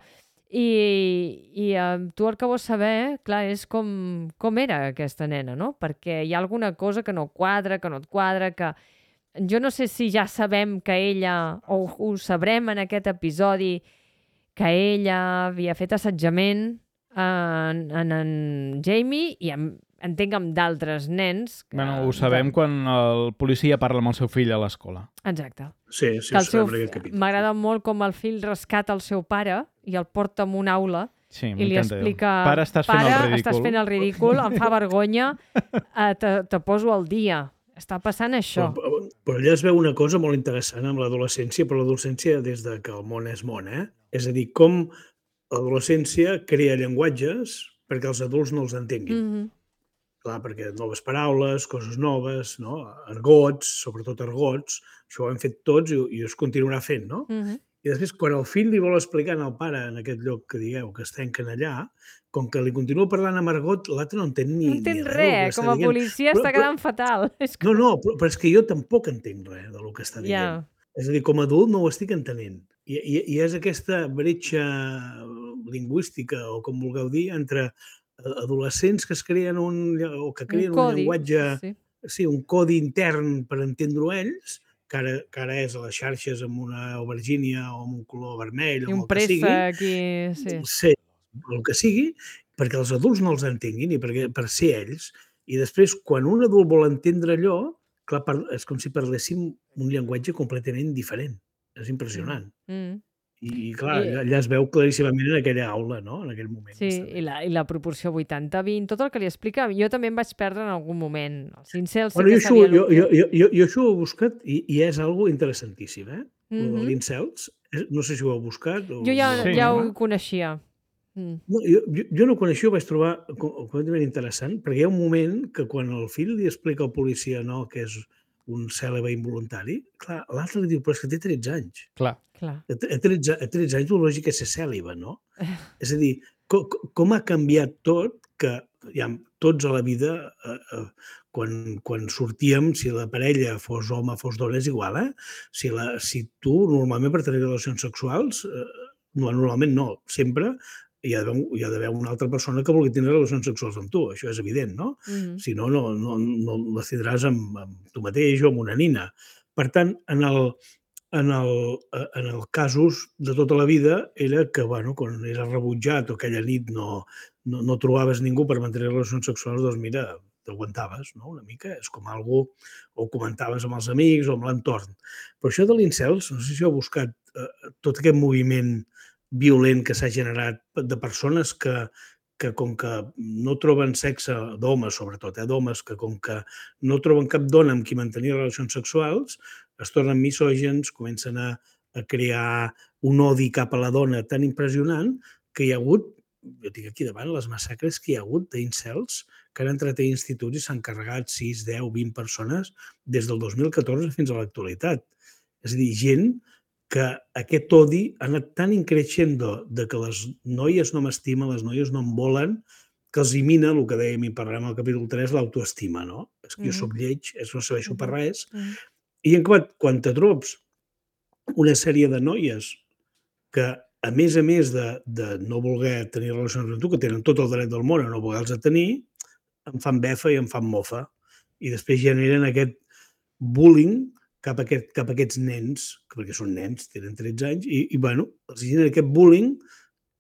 i tu el que vols saber, clar, és com era aquesta nena, no? Perquè hi ha alguna cosa que no quadra, que no et quadra, que jo no sé si ja sabem que ella, o ho sabrem en aquest episodi, que ella havia fet assetjament en Jamie i entenc amb d'altres nens. Bueno, ho sabem quan el policia parla amb el seu fill a l'escola. Exacte. Sí, Que ho sabem en aquest capítol. m'agrada molt com el fill rescata el seu pare i el porta en una aula Sí, i li m'encanta. explica... Pare, estàs fent el ridícul. Estàs fent el ridícul, em fa vergonya, te poso al dia. Està passant això. Però allà es veu una cosa molt interessant amb l'adolescència, però l'adolescència des de que el món és món, És a dir, com l'adolescència crea llenguatges perquè els adults no els entenguin. Clar, perquè noves paraules, coses noves, no? Argots, sobretot argots, això ho hem fet tots i es continuarà fent, no? I després, quan el fill li vol explicar al pare en aquest lloc que digueu, que es tanquen allà, com que li continua parlant amb argot, l'altre no entén ni No entén res del que res, està com a dient. policia està quedant fatal. És que... No, però és que jo tampoc entenc res del que està dient. Ja. És a dir, com a adult no ho estic entenent. I és aquesta bretxa lingüística, o com vulgueu dir, entre adolescents que es creen un llenguatge, sí, un codi intern per entendre-ho ells, que ara és a les xarxes amb una aubergínia o amb un color vermell o I un el que sigui. préssec i... Sí, el que sigui, perquè els adults no els entenguin i per ser ells. I després, quan un adult vol entendre allò, clar, és com si parléssim un llenguatge completament diferent. És impressionant. I clar, allà es veu claríssimament en aquella aula, no?, en aquell moment. Sí, i la proporció 80-20, tot el que li explica, jo també em vaig perdre en algun moment. Els incels sí que sabien... Jo això ho he buscat i és algo interessantíssim, L'incels, no sé si ho heu buscat. Jo ja ho coneixia. No, jo no ho coneixia, ho vaig trobar completament interessant, perquè hi ha un moment que quan el fill li explica al policia que és un cèlebre involuntari, clar, l'altre li diu, però és que té 13 anys. Clar. A 13 anys el lògic és ser cèl·libe, no? És a dir, com ha canviat tot, que ja, tots a la vida, quan sortíem, si la parella fos home, fos dona, és igual, Si tu, normalment, per tenir relacions sexuals, normalment no, sempre, hi ha d'haver una altra persona que vulgui tenir relacions sexuals amb tu, això és evident, no? Si no, no les tindràs amb tu mateix o amb una nina. Per tant, en el casos de tota la vida era que, quan eres rebutjat o aquella nit no trobaves ningú per mantenir relacions sexuals, doncs mira, t'aguantaves, no? Una mica, és com algo, o comentaves amb els amics o amb l'entorn. Però això de l'incels, no sé si heu buscat tot aquest moviment violent que s'ha generat de persones que com que no troben sexe, d'homes sobretot, d'homes que com que no troben cap dona amb qui mantenir relacions sexuals, es tornen misògens, comencen a crear un odi cap a la dona tan impressionant que hi ha hagut, jo tinc aquí davant, les massacres que hi ha hagut d'incels que han entrat a instituts i s'han carregat 6, 10, 20 persones des del 2014 fins a l'actualitat. És a dir, gent que aquest odi ha anat tan increixendo de que les noies no m'estimen, les noies no em volen, que els mina, el que dèiem i parlarem al capítol 3, l'autoestima, no? És que jo soc lleig, no serveixo per res. I en quan te trobes una sèrie de noies que, a més de no voler tenir relacions amb tu, que tenen tot el dret del món a no voler-los tenir, em fan befa i em fan mofa. I després generen aquest bullying cap a aquests nens, perquè són nens, tenen 13 anys, i bueno, els genera aquest bullying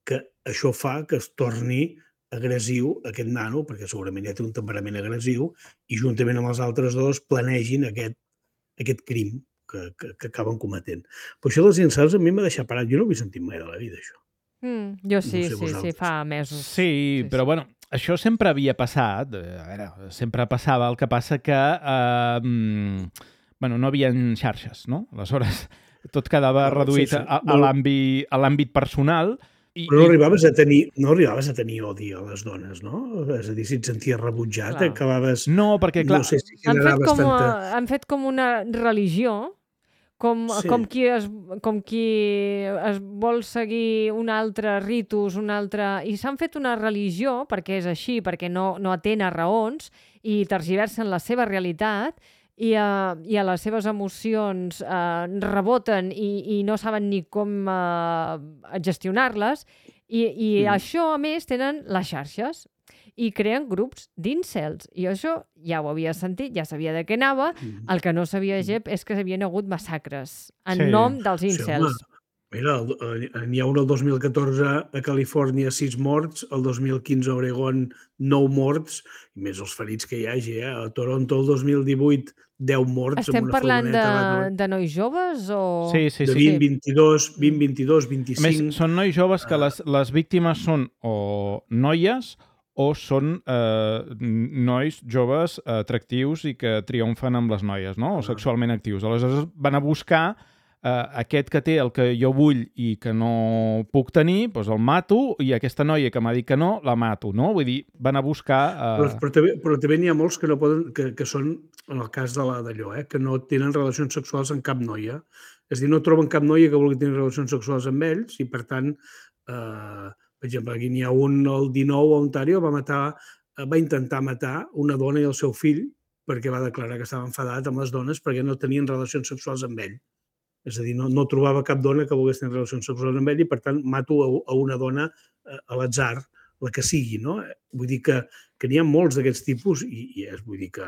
que això fa que es torni agressiu aquest nano, perquè segurament ja té un temperament agressiu, i juntament amb els altres dos planegin aquest crim que acaben cometent. Però això dels incels a mi m'ha deixat parat. Jo no ho he sentit mai de la vida, això. Jo sí, No sé sí, vosaltres. fa mesos. Sí, però bueno, això sempre havia passat. A veure, sempre passava. El que passa que bueno, no hi havia xarxes, no? Aleshores, tot quedava reduït a l'àmbit personal. Però no arribaves a tenir odi a les dones, no? És a dir, si et senties rebutjat, acabaves... No, perquè clar... No sé si generaves tanta... Han fet com una religió, com qui es vol seguir un altre ritus, i s'han fet una religió, perquè és així, perquè no atén a raons, i tergiversen la seva realitat, i a les seves emocions reboten i no saben ni com gestionar-les, i això, a més, tenen les xarxes i creen grups d'incels. I això ja ho havia sentit, ja sabia de què anava. El que no sabia, Jep, és que hi havia hagut massacres en nom dels incels. Mira, n'hi ha un el 2014 a Califòrnia, 6 morts, el 2015 a Oregon, 9 morts, i més els ferits que hi hagi. A Toronto, el 2018, 10 morts. Estem parlant de nois joves o...? Sí. De 20, 22, 25... A més, són nois joves que les víctimes són o noies o són nois joves atractius i que triomfen amb les noies, no? O sexualment actius. Aleshores van a buscar aquest que té el que jo vull i que no puc tenir, doncs el mato, i aquesta noia que m'ha dit que no, la mato, no? Vull dir, van a buscar... Però també n'hi ha molts que no poden, que són, en el cas d'allò, que no tenen relacions sexuals amb cap noia. És a dir, no troben cap noia que vulgui tenir relacions sexuals amb ells i, per tant, per exemple, aquí n'hi ha un, el 19 a Ontario, va intentar matar una dona i el seu fill perquè va declarar que estava enfadat amb les dones perquè no tenien relacions sexuals amb ell. És a dir, no trobava cap dona que volgués tenir relacions sexuals amb ell i, per tant, mato a una dona a l'atzar, la que sigui, no? Vull dir que n'hi ha molts d'aquests tipus i vull dir que...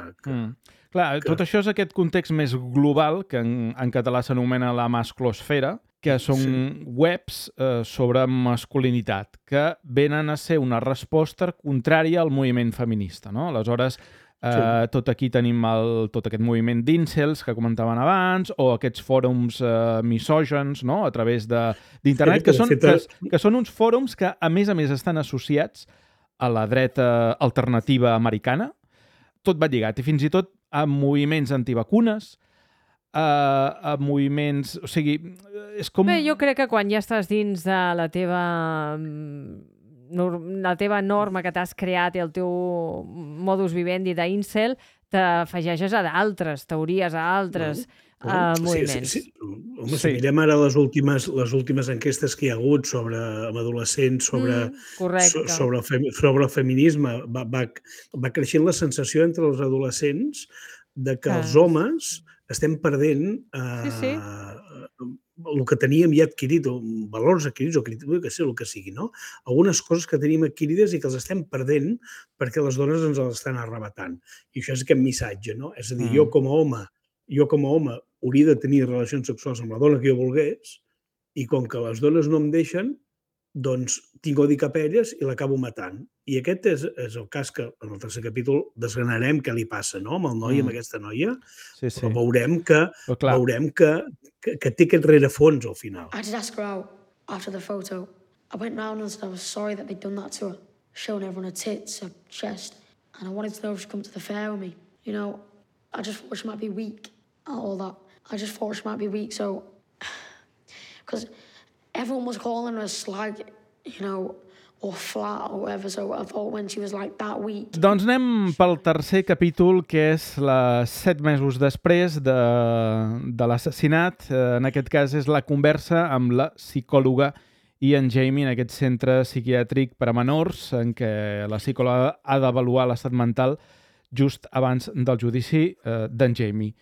Clar, tot això és aquest context més global, que en català s'anomena la masclosfera, que són webs sobre masculinitat, que venen a ser una resposta contrària al moviment feminista, no? Aleshores, tot aquí tenim tot aquest moviment d'incels que comentaven abans, o aquests fòrums misògens, no?, a través d'internet, que són uns fòrums que, a més, estan associats a la dreta alternativa americana. Tot va lligat, i fins i tot a moviments antivacunes, a moviments... O sigui, és com... Bé, jo crec que quan ja estàs dins de la teva norma que t'has creat i el teu modus vivendi d'incel, t'afegeixes a d'altres teories, a altres moviments. Home, si mirem ara les últimes enquestes que hi ha hagut sobre adolescents, sobre el feminisme, va creixent la sensació entre els adolescents de que els homes estem perdent el que teníem ja adquirit, o valors adquirits, o el que sigui, no? Algunes coses que tenim adquirides i que els estem perdent perquè les dones ens les estan arrebatant. I això és aquest missatge, no? És a dir, jo com a home hauria de tenir relacions sexuals amb la dona que jo volgués, i com que les dones no em deixen, doncs tinc odi cap a elles i l'acabo matant. I aquest és el cas que en el tercer capítol desgranarem què li passa, no?, amb el noi, amb aquesta noia, Sí, però sí. veurem que Però clar, té aquest rerefons al final. I just asked her out after the photo. I went round and said I was sorry that they'd done that to her, showing everyone her tits, her chest, and I wanted to know if she'd come to the fair with me. You know, I just thought she might be weak, all that. I just thought she might be weak, so... Because everyone was calling her a slag, you know, or flat or whatever, so I thought when she was like that weak... doncs anem pel tercer capítol, que és 7 mesos després de l'assassinat. En aquest cas és la conversa amb la psicòloga i en Jamie en aquest centre psiquiàtric per a menors, en què la psicòloga ha d'avaluar l'estat mental just abans del judici d'en Jamie.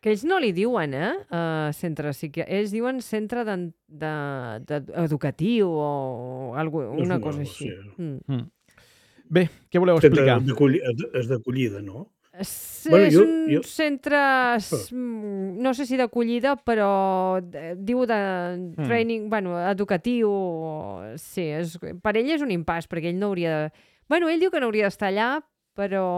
Que ells no li diuen, centre psiquiàtric. Ells diuen centre educatiu o una cosa així. Bé, què voleu explicar? És d'acollida, no? És un centre, no sé si d'acollida, però diu de training, educatiu. Sí, per ell és un impàs, perquè ell no hauria de... Ell diu que no hauria d'estar allà, però...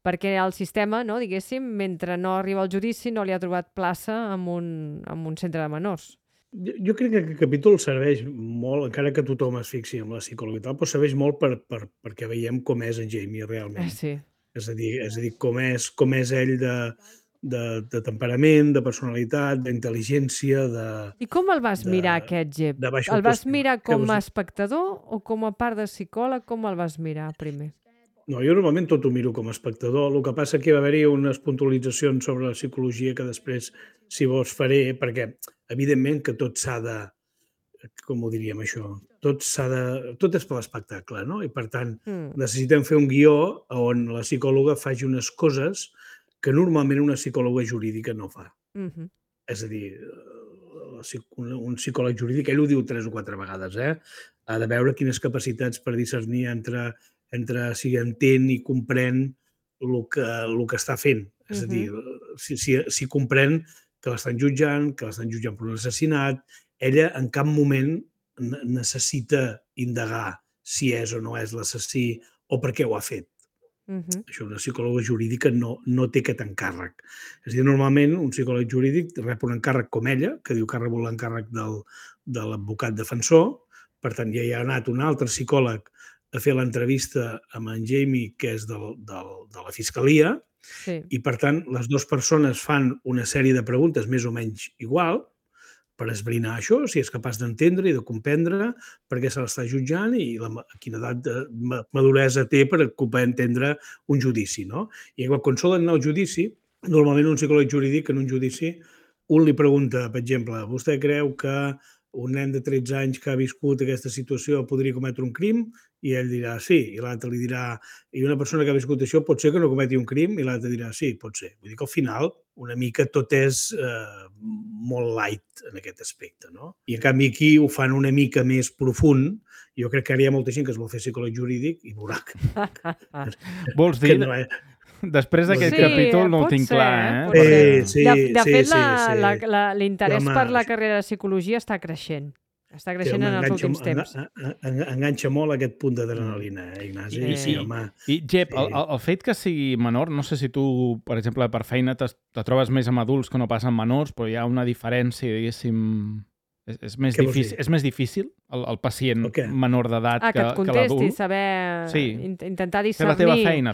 perquè el sistema, no, diguéssim, mentre no arriba al judici, no li ha trobat plaça en un centre de menors. Jo crec que aquest capítol serveix molt, encara que tothom es fixi en la psicòloga i tal, però serveix molt perquè veiem com és en Jamie realment. Sí. És a dir, com és ell de temperament, de personalitat, d'intel·ligència, de... I com el vas mirar, aquest Jep? El vas mirar com a espectador o com a part de psicòleg? Com el vas mirar primer? No, jo normalment tot ho miro com a espectador. El que passa que va haver-hi unes puntualitzacions sobre la psicologia que després, si vols, faré, perquè, evidentment, que tot s'ha de... Com ho diríem, això? Tot és per l'espectacle, no? I, per tant, necessitem fer un guió on la psicòloga faci unes coses que normalment una psicòloga jurídica no fa. És a dir, un psicòleg jurídic, ell ho diu 3 o 4 vegades, ha de veure quines capacitats per discernir entre si entén i comprèn el que està fent. És a dir, si comprèn que l'estan jutjant per un assassinat, ella en cap moment necessita indagar si és o no és l'assassí o per què ho ha fet. Això una psicòloga jurídica no té aquest encàrrec. És a dir, normalment un psicòleg jurídic rep un encàrrec com ella, que diu que ha rebut l'encàrrec de l'advocat defensor, per tant ja hi ha anat un altre psicòleg a fer l'entrevista amb en Jamie, que és de la Fiscalia, i per tant les dues persones fan una sèrie de preguntes més o menys igual per esbrinar això, si és capaç d'entendre i de comprendre per què se l'està jutjant i quina edat de maduresa té per poder entendre un judici, no? I quan solen anar al judici, normalment un psicòleg jurídic en un judici, un li pregunta, per exemple, vostè creu que un nen de 13 anys que ha viscut aquesta situació podria cometre un crim? I ell dirà sí, i l'altre li dirà i una persona que ha viscut això pot ser que no cometi un crim? I l'altre dirà sí, pot ser. Vull dir que al final una mica tot és molt light en aquest aspecte, no? I en canvi aquí ho fan una mica més profund. Jo crec que ara hi ha molta gent que es vol fer psicòleg jurídic i veurà que... Vols dir... Després d'aquest capítol no ho tinc clar, De fet, l'interès per la carrera de psicologia està creixent. Està creixent en els últims temps. Enganxa molt aquest punt d'adrenalina, Ignasi. I, Jep, el fet que sigui menor, no sé si tu, per exemple, per feina te trobes més amb adults que no pas amb menors, però hi ha una diferència, diguéssim... És més difícil el pacient menor d'edat que l'adult? Que et contesti, saber... Intentar discernir...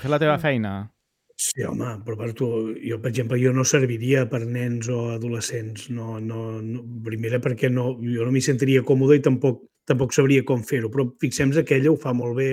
Fer la teva feina. Sí, home, però jo, per exemple, no serviria per nens o adolescents. Primera perquè jo no m'hi sentiria còmode i tampoc sabria com fer-ho. Però fixem-nos que ella ho fa molt bé,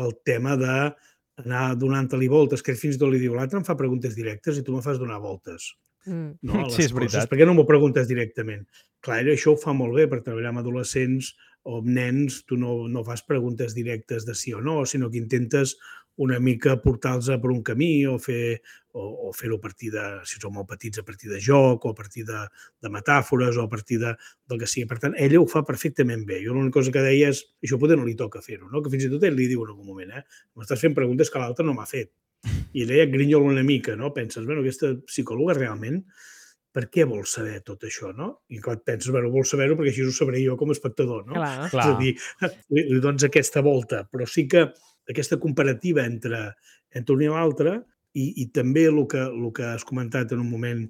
el tema d'anar donant-li voltes, que fins i tot li diu l'altre em fa preguntes directes i tu me fas donar voltes. Sí, és veritat. Per què no m'ho preguntes directament? Clar, això ho fa molt bé per treballar amb adolescents o amb nens. Tu no fas preguntes directes de sí o no, sinó que intentes una mica portar-los per un camí o fer-ho a partir de, si són molt petits, a partir de joc o a partir de metàfores o a partir del que sigui. Per tant, ella ho fa perfectament bé. Jo l'única cosa que deia és, això potser no li toca fer-ho, no? Que fins i tot ell li diu en algun moment, m'estàs fent preguntes que l'altre no m'ha fet. I ella grinyola una mica, no? Penses, bueno, aquesta psicòloga realment per què vols saber tot això, no? I clar, et penses, bueno, vols saber-ho perquè així ho sabré jo com a espectador, no? Clar. És a dir, li dones aquesta volta, però sí que aquesta comparativa entre un i l'altre i també el que has comentat en un moment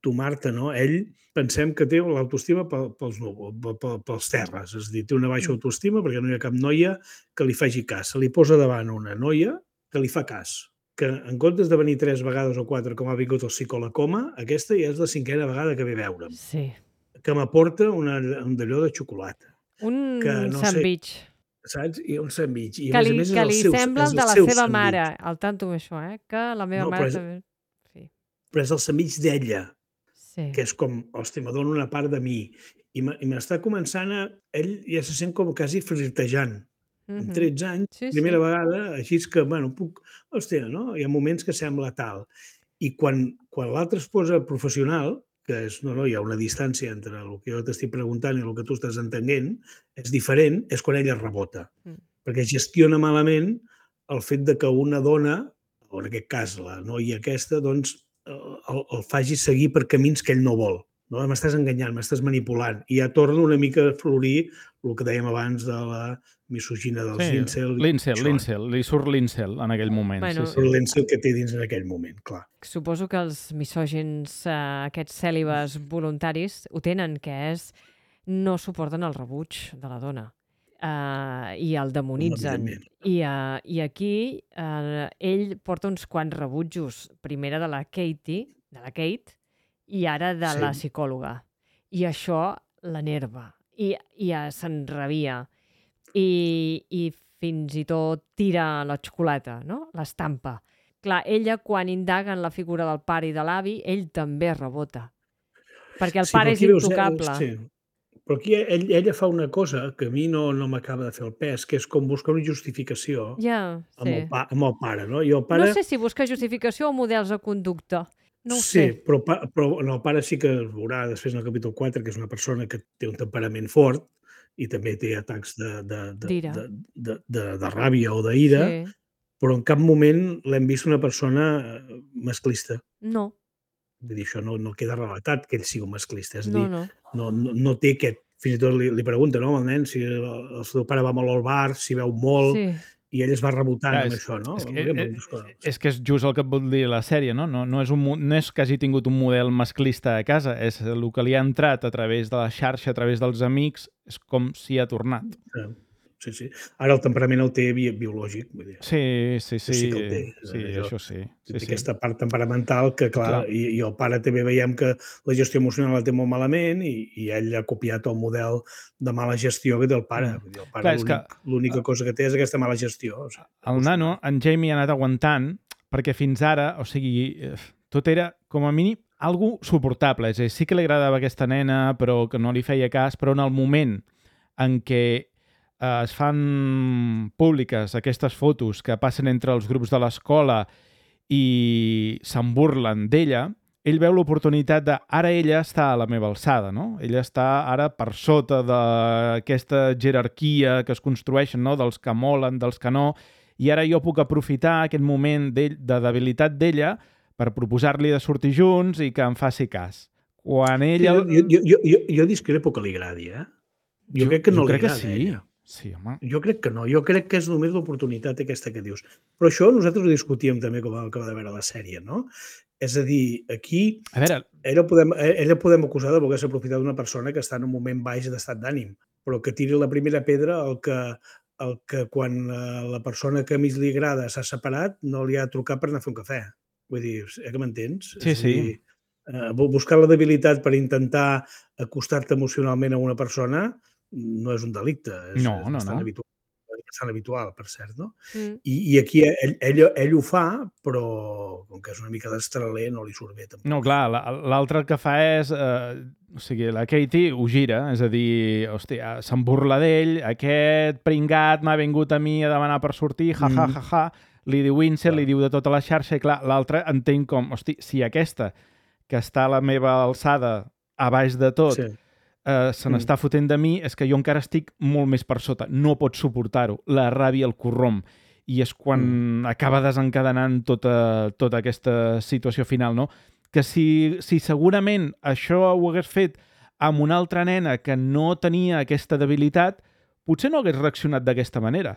tu, Marta, no? Ell pensem que té l'autoestima pels terres, és a dir, té una baixa autoestima perquè no hi ha cap noia que li faci cas. Se li posa davant una noia que li fa cas, que en comptes de venir 3 vegades o 4 com ha vingut el psicòleg coma, aquesta ja és la 5a vegada que ve a veure'm. Sí. Que m'aporta un d'allò de xocolata. Un no sandwich. Saps? I un sandwich. I Que a més a més és el li seu, sembla el de la seva mare. Al tanto amb això, que la meva mare també... Però és el sandwich d'ella, Sí. que és com, hosti, me dona una part de mi. I m'està començant a... Ell ja se sent com quasi flirtejant. Amb 13 anys, primera vegada, així és que, bueno, puc... Hòstia, no? Hi ha moments que sembla tal. I quan l'altre es posa professional, que és, no, hi ha una distància entre el que jo t'estic preguntant i el que tu estàs entenent, és diferent, és quan ella rebota. Perquè gestiona malament el fet de que una dona, o en aquest cas la noia aquesta, doncs el faci seguir per camins que ell no vol. No? M'estàs enganyant, m'estàs manipulant. I ja torna una mica a florir el que dèiem abans de la misogina dels incel. L'incel, li surt l'incel en aquell moment. Bueno, surt l'incel que té dins en aquell moment, clar. Suposo que els misògins, aquests cèlibes voluntaris, ho tenen, que és no suporten el rebuig de la dona i el demonitzen. I aquí ell porta uns quants rebutjos, primera de la Kate, i ara de la psicòloga. I això l'enerva. I s'enrabia. I fins i tot tira la xocolata, no? L'estampa. Clar, ella, quan indaga en la figura del pare i de l'avi, ell també rebota. Perquè el pare és intocable. Sí. Però aquí ella fa una cosa que a mi no m'acaba de fer el pes, que és com buscar una justificació amb el pare. No? I el pare... No sé si busca justificació o models de conducta. No ho sé. Sí, però el pare sí que es veurà després en el capítol 4, que és una persona que té un temperament fort i també té atacs de ràbia o d'ira, però en cap moment l'hem vist una persona masclista. No. Vull dir, això no queda relatat que ell sigui un masclista. És a dir, no té aquest... Fins i tot li pregunta, no, al nen, si el seu pare va molt al bar, si veu molt, i ell es va rebotant amb això, no? És que és just el que et vol dir la sèrie, no? No és que hagi tingut un model masclista a casa, és el que li ha entrat a través de la xarxa, a través dels amics, és com si ha tornat. Sí. Ara el temperament el té biològic, vull dir. Sí. Que el té. Sí, això sí. Té aquesta part temperamental que, clar, i el pare també veiem que la gestió emocional la té molt malament i ell ha copiat el model de mala gestió que té el pare. Vull dir, el pare l'única cosa que té és aquesta mala gestió. El nano, en Jamie, ha anat aguantant perquè fins ara, o sigui, tot era, com a mínim, algo suportable. És a dir, sí que li agradava aquesta nena, però que no li feia cas, però en el moment en què es fan públiques aquestes fotos que passen entre els grups de l'escola i se'n burlen d'ella, ell veu l'oportunitat de ara ella està a la meva alçada, no? Ella està ara per sota d'aquesta jerarquia que es construeixen, no? Dels que molen, dels que no, i ara jo puc aprofitar aquest moment de debilitat d'ella per proposar-li de sortir junts i que em faci cas. Quan ella... Jo discrepo que li agradi, Jo crec que no li agrada, ella. Sí, home. Jo crec que no. Jo crec que és només l'oportunitat aquesta que dius. Però això nosaltres ho discutíem també com vam acabar de veure la sèrie, no? És a dir, aquí ella podem acusar de voler-se aprofitar d'una persona que està en un moment baix d'estat d'ànim, però que tiri la primera pedra el que quan la persona que més li agrada s'ha separat no li ha trucat per anar a fer un cafè. Vull dir, que m'entens? Sí. Buscar la debilitat per intentar acostar-te emocionalment a una persona no és un delicte, és bastant habitual, per cert, no? I aquí ell ho fa, però com que és una mica d'estraler no li surt bé tampoc. No, clar, l'altre que fa és... O sigui, la Katie ho gira, és a dir, hòstia, se'n burla d'ell, aquest pringat m'ha vingut a mi a demanar per sortir, ja, li diu incel, li diu de tota la xarxa, i clar, l'altre entenc com, hosti, si aquesta, que està a la meva alçada, a baix de tot, se n'està fotent de mi, és que jo encara estic molt més per sota. No pots suportar-ho. La ràbia el corromp. I és quan acaba desencadenant tota aquesta situació final, no? que si segurament això ho hagués fet amb una altra nena que no tenia aquesta debilitat, potser no hagués reaccionat d'aquesta manera.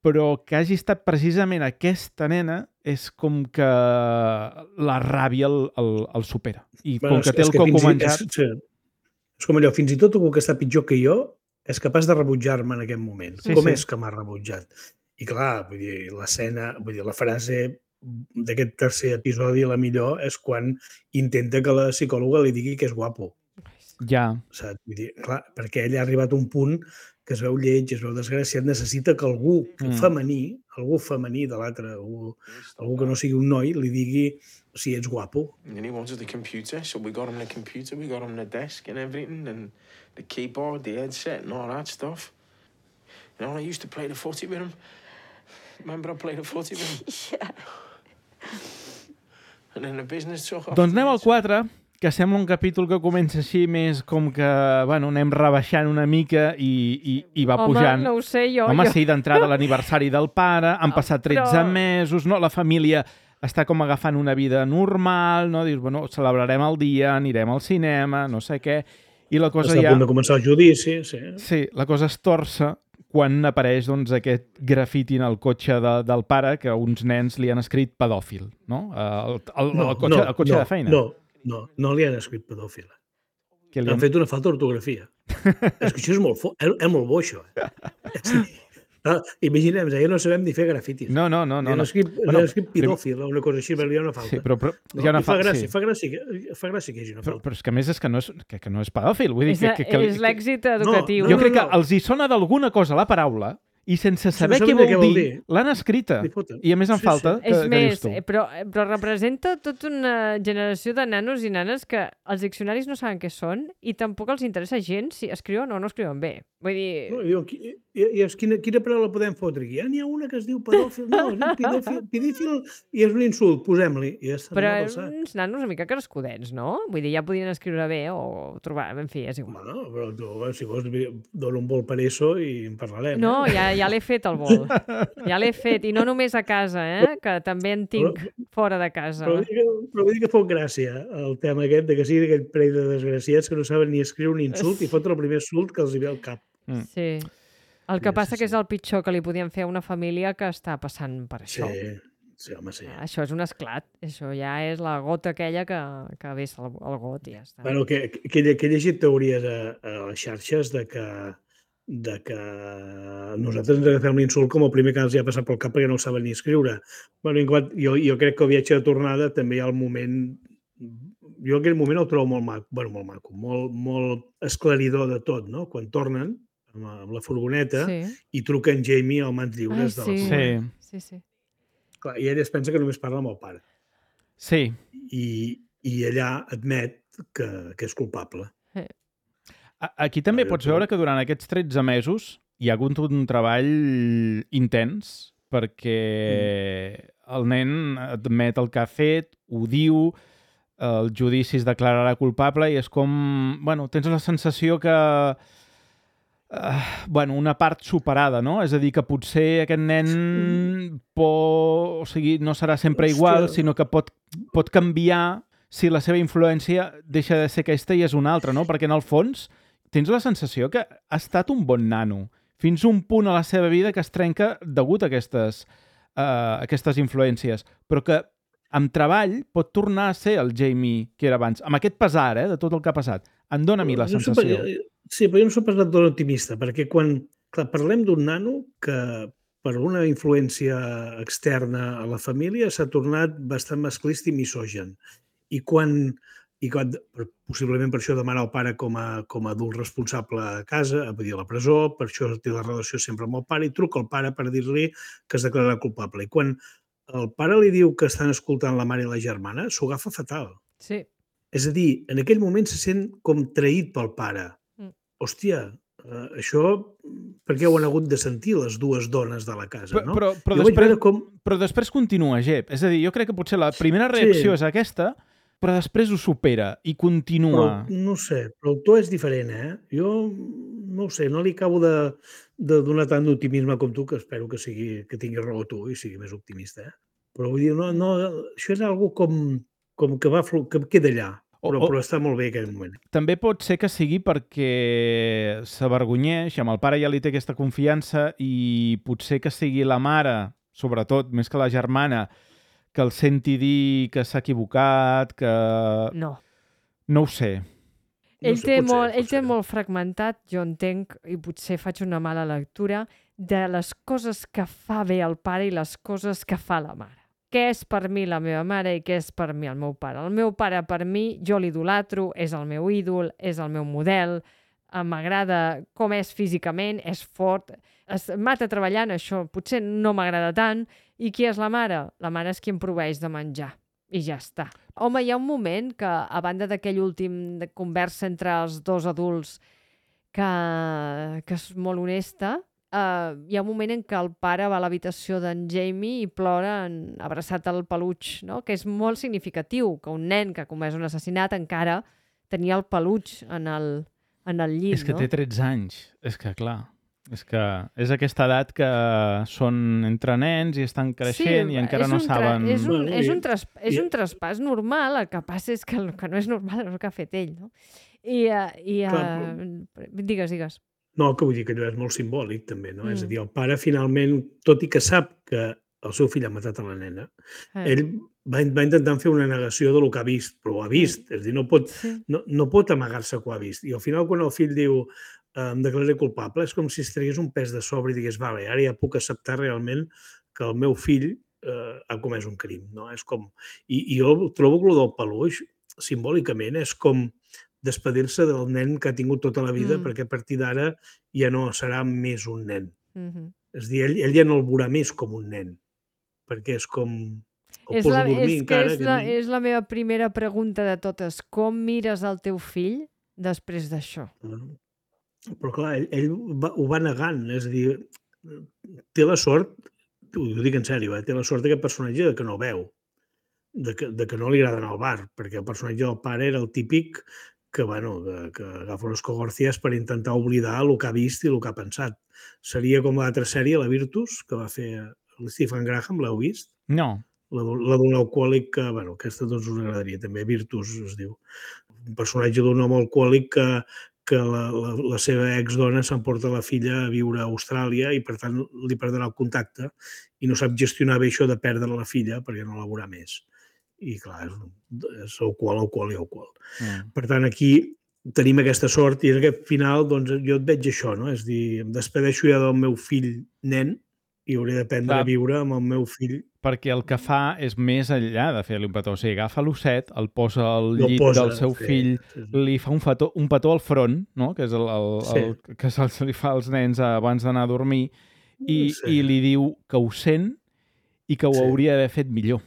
Però que hagi estat precisament aquesta nena és com que la ràbia el supera. I com que té el coco menjat... És com allò, fins i tot algú que està pitjor que jo és capaç de rebutjar-me en aquest moment. Com és que m'ha rebutjat? I clar, vull dir, l'escena, vull dir, la frase d'aquest tercer episodi, la millor, és quan intenta que la psicòloga li digui que és guapo. Ja. Saps? Vull dir, clar, perquè ell ha arribat a un punt que es veu lleig, es veu desgraciat, necessita que algú femení de l'altre, algú que no sigui un noi, li digui si ets guapo. And he wanted the computer, so we got him the computer, we got him the desk and everything, and the keyboard, the headset, and all that stuff. You know, I used to play the footy with him. Remember I played the footy with him? Yeah. And then the business took off. Doncs anem al 4, que sembla un capítol que comença així més com que, bueno, anem rebaixant una mica i va pujant. Home, no ho sé, jo. Home, sí, d'entrada l'aniversari del pare, han passat 13 mesos, no? La família està com agafant una vida normal, no? Dius, bueno, celebrarem el dia, anirem al cinema, no sé què, i la cosa Està a punt de començar el judici, sí. Sí, la cosa es torça quan apareix doncs, aquest grafiti en el cotxe del pare que uns nens li han escrit pedòfil, no? El cotxe de feina. No li han escrit pedòfil. Li han fet una falta d'ortografia. És que això és molt bo, això. Imaginem, ja no sabem ni fer grafitis. No. Li han escrit pedòfil, una cosa així, però hi ha una falta. Sí, però hi ha una falta. Fa gràcia que hi hagi una falta. Però és que a més és que no és pedòfil. Vull dir és l'èxit educatiu. Jo crec que els hi sona d'alguna cosa la paraula i sense saber què vol dir, l'han escrita. I a més en falta. És més, però representa tota una generació de nanos i nanes que els diccionaris no saben què són i tampoc els interessa gens si escriuen o no escriuen bé. Vull dir... Quina paraula podem fotre aquí? N'hi ha una que es diu pedòfil. No, pedòfil i és un insult, posem-li. Però uns nanos una mica crescudets, no? Vull dir, ja podien escriure bé o trobar... En fi, és igual. Bueno, però tu, si vols, dona un vol per eso i en parlarem. No, ja l'he fet el vol. Ja l'he fet. I no només a casa, que també en tinc fora de casa. Però vull dir que fot gràcia el tema aquest de que sigui aquell parell de desgraciats que no saben ni escriure un insult i fotre el primer insult que els hi ve al cap. Sí. El que passa que és el pitjor que li podien fer a una família que està passant per això. Sí, home, sí. Això és un esclat. Això ja és la gota aquella que vessa el got i ja està. Bueno, que he llegit teories a les xarxes de que nosaltres ens agafem l'insult com el primer que els ha passat pel cap perquè no saben ni escriure. Bueno, jo crec que el viatge de tornada també hi ha el moment... Jo aquell moment el trobo molt maco, molt esclaridor de tot, no? Quan tornen amb la furgoneta i truquen Jamie al mans lliures de la furgoneta. Sí. Clar, i ell es pensa que només parla amb el pare. Sí. I allà admet que és culpable. Aquí també pots veure que durant aquests 13 mesos hi ha hagut un treball intens perquè el nen admet el que ha fet, ho diu, el judici es declararà culpable i és com... Bueno, tens la sensació que... una part superada, no? És a dir, que potser aquest nen no serà sempre igual, sinó que pot canviar si la seva influència deixa de ser aquesta i és una altra, no? Perquè en el fons tens la sensació que ha estat un bon nano fins a un punt a la seva vida que es trenca degut a aquestes influències, però que amb treball pot tornar a ser el Jamie que era abans, amb aquest pesar de tot el que ha passat. Em dóna a mi la sensació. Sí, però jo no soc pas tan optimista, perquè quan parlem d'un nano que per una influència externa a la família s'ha tornat bastant masclista i misògen. I quan possiblement per això demana el pare com a adult responsable a casa, vull dir, a la presó, per això té la relació sempre amb el pare, i truca al pare per dir-li que es declararà culpable. I quan el pare li diu que estan escoltant la mare i la germana, s'ho agafa fatal. Sí. És a dir, en aquell moment se sent com traït pel pare. Hòstia, això per què ho han hagut de sentir les dues dones de la casa, no? Però després continua, Jep. És a dir, jo crec que potser la primera reacció és aquesta, però després ho supera i continua. Però, no sé, però el to és diferent, Jo no ho sé, no li acabo de donar tant d'optimisme com tu, que espero que tingui raó tu i sigui més optimista, Però vull dir, no, això és algo com com que queda allà, però està molt bé aquell moment. També pot ser que sigui perquè s'avergonyeix, amb el pare ja li té aquesta confiança i potser que sigui la mare, sobretot, més que la germana, que el senti dir que s'ha equivocat, que... No. No ho sé. Ell té molt fragmentat, jo entenc, i potser faig una mala lectura, de les coses que fa bé el pare i les coses que fa la mare. Què és per mi la meva mare i què és per mi el meu pare? El meu pare, per mi, jo l'idolatro, és el meu ídol, és el meu model, m'agrada com és físicament, és fort, es mata treballant, això potser no m'agrada tant. I qui és la mare? La mare és qui em proveeix de menjar. I ja està. Home, hi ha un moment que, a banda d'aquell últim de conversa entre els dos adults que és molt honesta, hi ha un moment en què el pare va a l'habitació d'en Jamie i plora abraçat al peluig, no? Que és molt significatiu, que un nen que ha comès un assassinat encara tenia el peluig en el llit. És que té 13 anys. És que, clar, és aquesta edat que són entre nens i estan creixent i encara no saben... És un traspàs normal, el que passa és que el que no és normal és el que ha fet ell, no? Digues. No, que vull dir que allò és molt simbòlic, també, no? És a dir, el pare, finalment, tot i que sap que el seu fill ha matat a la nena, ell va intentar fer una negació del que ha vist, però ho ha vist. És a dir, no pot amagar-se que ho ha vist. I al final, quan el fill diu em declararé culpable, és com si es tragués un pes de sobre i digués, vale, ara ja puc acceptar realment que el meu fill ha comès un crim, no? És com... I jo trobo que el del peluix, simbòlicament, és com despedir-se del nen que ha tingut tota la vida, perquè a partir d'ara ja no serà més un nen. És a dir, ell ja no el veurà més com un nen, perquè és com... És la meva primera pregunta de totes. Com mires el teu fill després d'això? Però clar, ell ho va negant, és a dir, té la sort, ho dic en sèrio, té la sort d'aquest personatge que no veu, de que no li agrada anar al bar, perquè el personatge del pare era el típic que agafa unes cogorcias per intentar oblidar el que ha vist i el que ha pensat. Seria com l'altra sèrie, la Virtus, que va fer Stephen Graham, l'heu vist? No. La d'un alcohòlic que, aquesta doncs us agradaria també, Virtus es diu. Un personatge d'un home alcohòlic que la seva exdona s'emporta la filla a viure a Austràlia i per tant li perdrà el contacte i no sap gestionar bé això de perdre la filla perquè no la veurà més. I clar, és alcohol. Per tant, aquí tenim aquesta sort i en aquest final doncs, jo et veig això, no? És a dir, em despedeixo ja del meu fill nen i hauré d'aprendre a viure amb el meu fill. Perquè el que fa és més enllà de fer-li un petó. O sigui, agafa l'osset, el posa al llit del seu fill, li fa un petó al front, no? Que és el que se'ls li fa als nens abans d'anar a dormir, i li diu que ho sent i que ho hauria d'haver fet millor.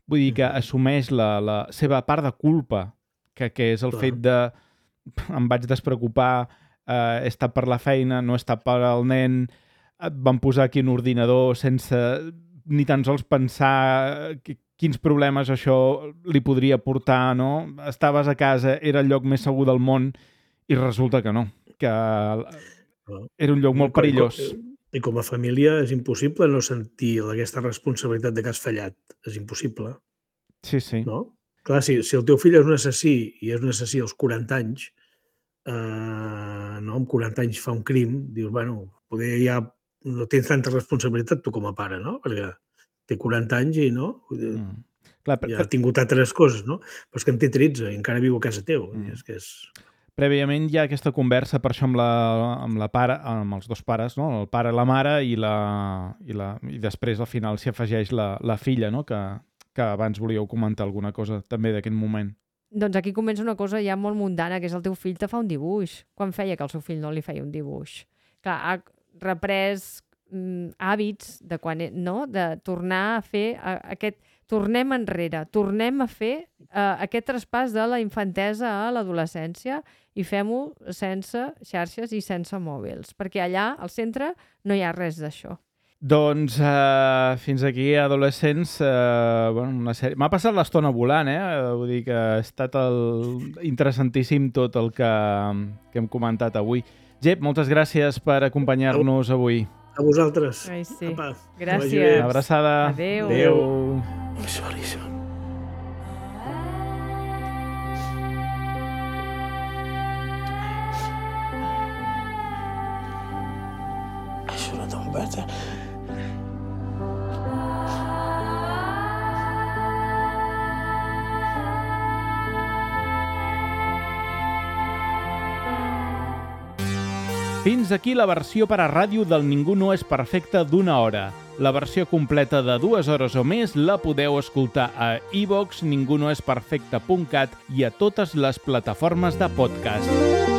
Vull dir que assumeix la seva part de culpa, que és el fet de em vaig despreocupar, he estat per la feina, no he estat per al nen, et van posar aquí un ordinador sense ni tan sols pensar quins problemes això li podria portar, no? Estaves a casa, era el lloc més segur del món i resulta que no, que era un lloc molt perillós. I com a família és impossible no sentir aquesta responsabilitat de que has fallat. És impossible. Sí. No? Clar, si el teu fill és un assassí i és un assassí als 40 anys, amb 40 anys fa un crim, dius, poder ja no tens tanta responsabilitat tu com a pare, no? Perquè té 40 anys i no? Ja ha tingut altres coses, no? Però és que en té 13 i encara viu a casa teu. És que és... Prèviament hi ha aquesta conversa per això amb els dos pares, no? El pare i la mare i després al final s'hi afegeix la filla, no? Que abans volíeu comentar alguna cosa també d'aquest moment. Doncs aquí comença una cosa ja molt mundana, que és el teu fill te fa un dibuix. Quan feia que el seu fill no li feia un dibuix? Clar, ha reprès hàbits de tornar a fer aquest... Tornem enrere, tornem a fer aquest traspàs de la infantesa a l'adolescència i fem-ho sense xarxes i sense mòbils, perquè allà, al centre, no hi ha res d'això. Doncs fins aquí, adolescents, una sèrie... M'ha passat l'estona volant, Vull dir que ha estat interessantíssim tot el que hem comentat avui. Jep, moltes gràcies per acompanyar-nos avui. A vosaltres. Ai, sí. Apa, gràcies. Una abraçada. Adéu. Adéu. Sorry, son. better. Fins aquí la versió per a ràdio del Ningú no és perfecte d'1 hora. La versió completa de 2 hores o més la podeu escoltar a iVoox, ningunoesperfecte.cat i a totes les plataformes de podcast.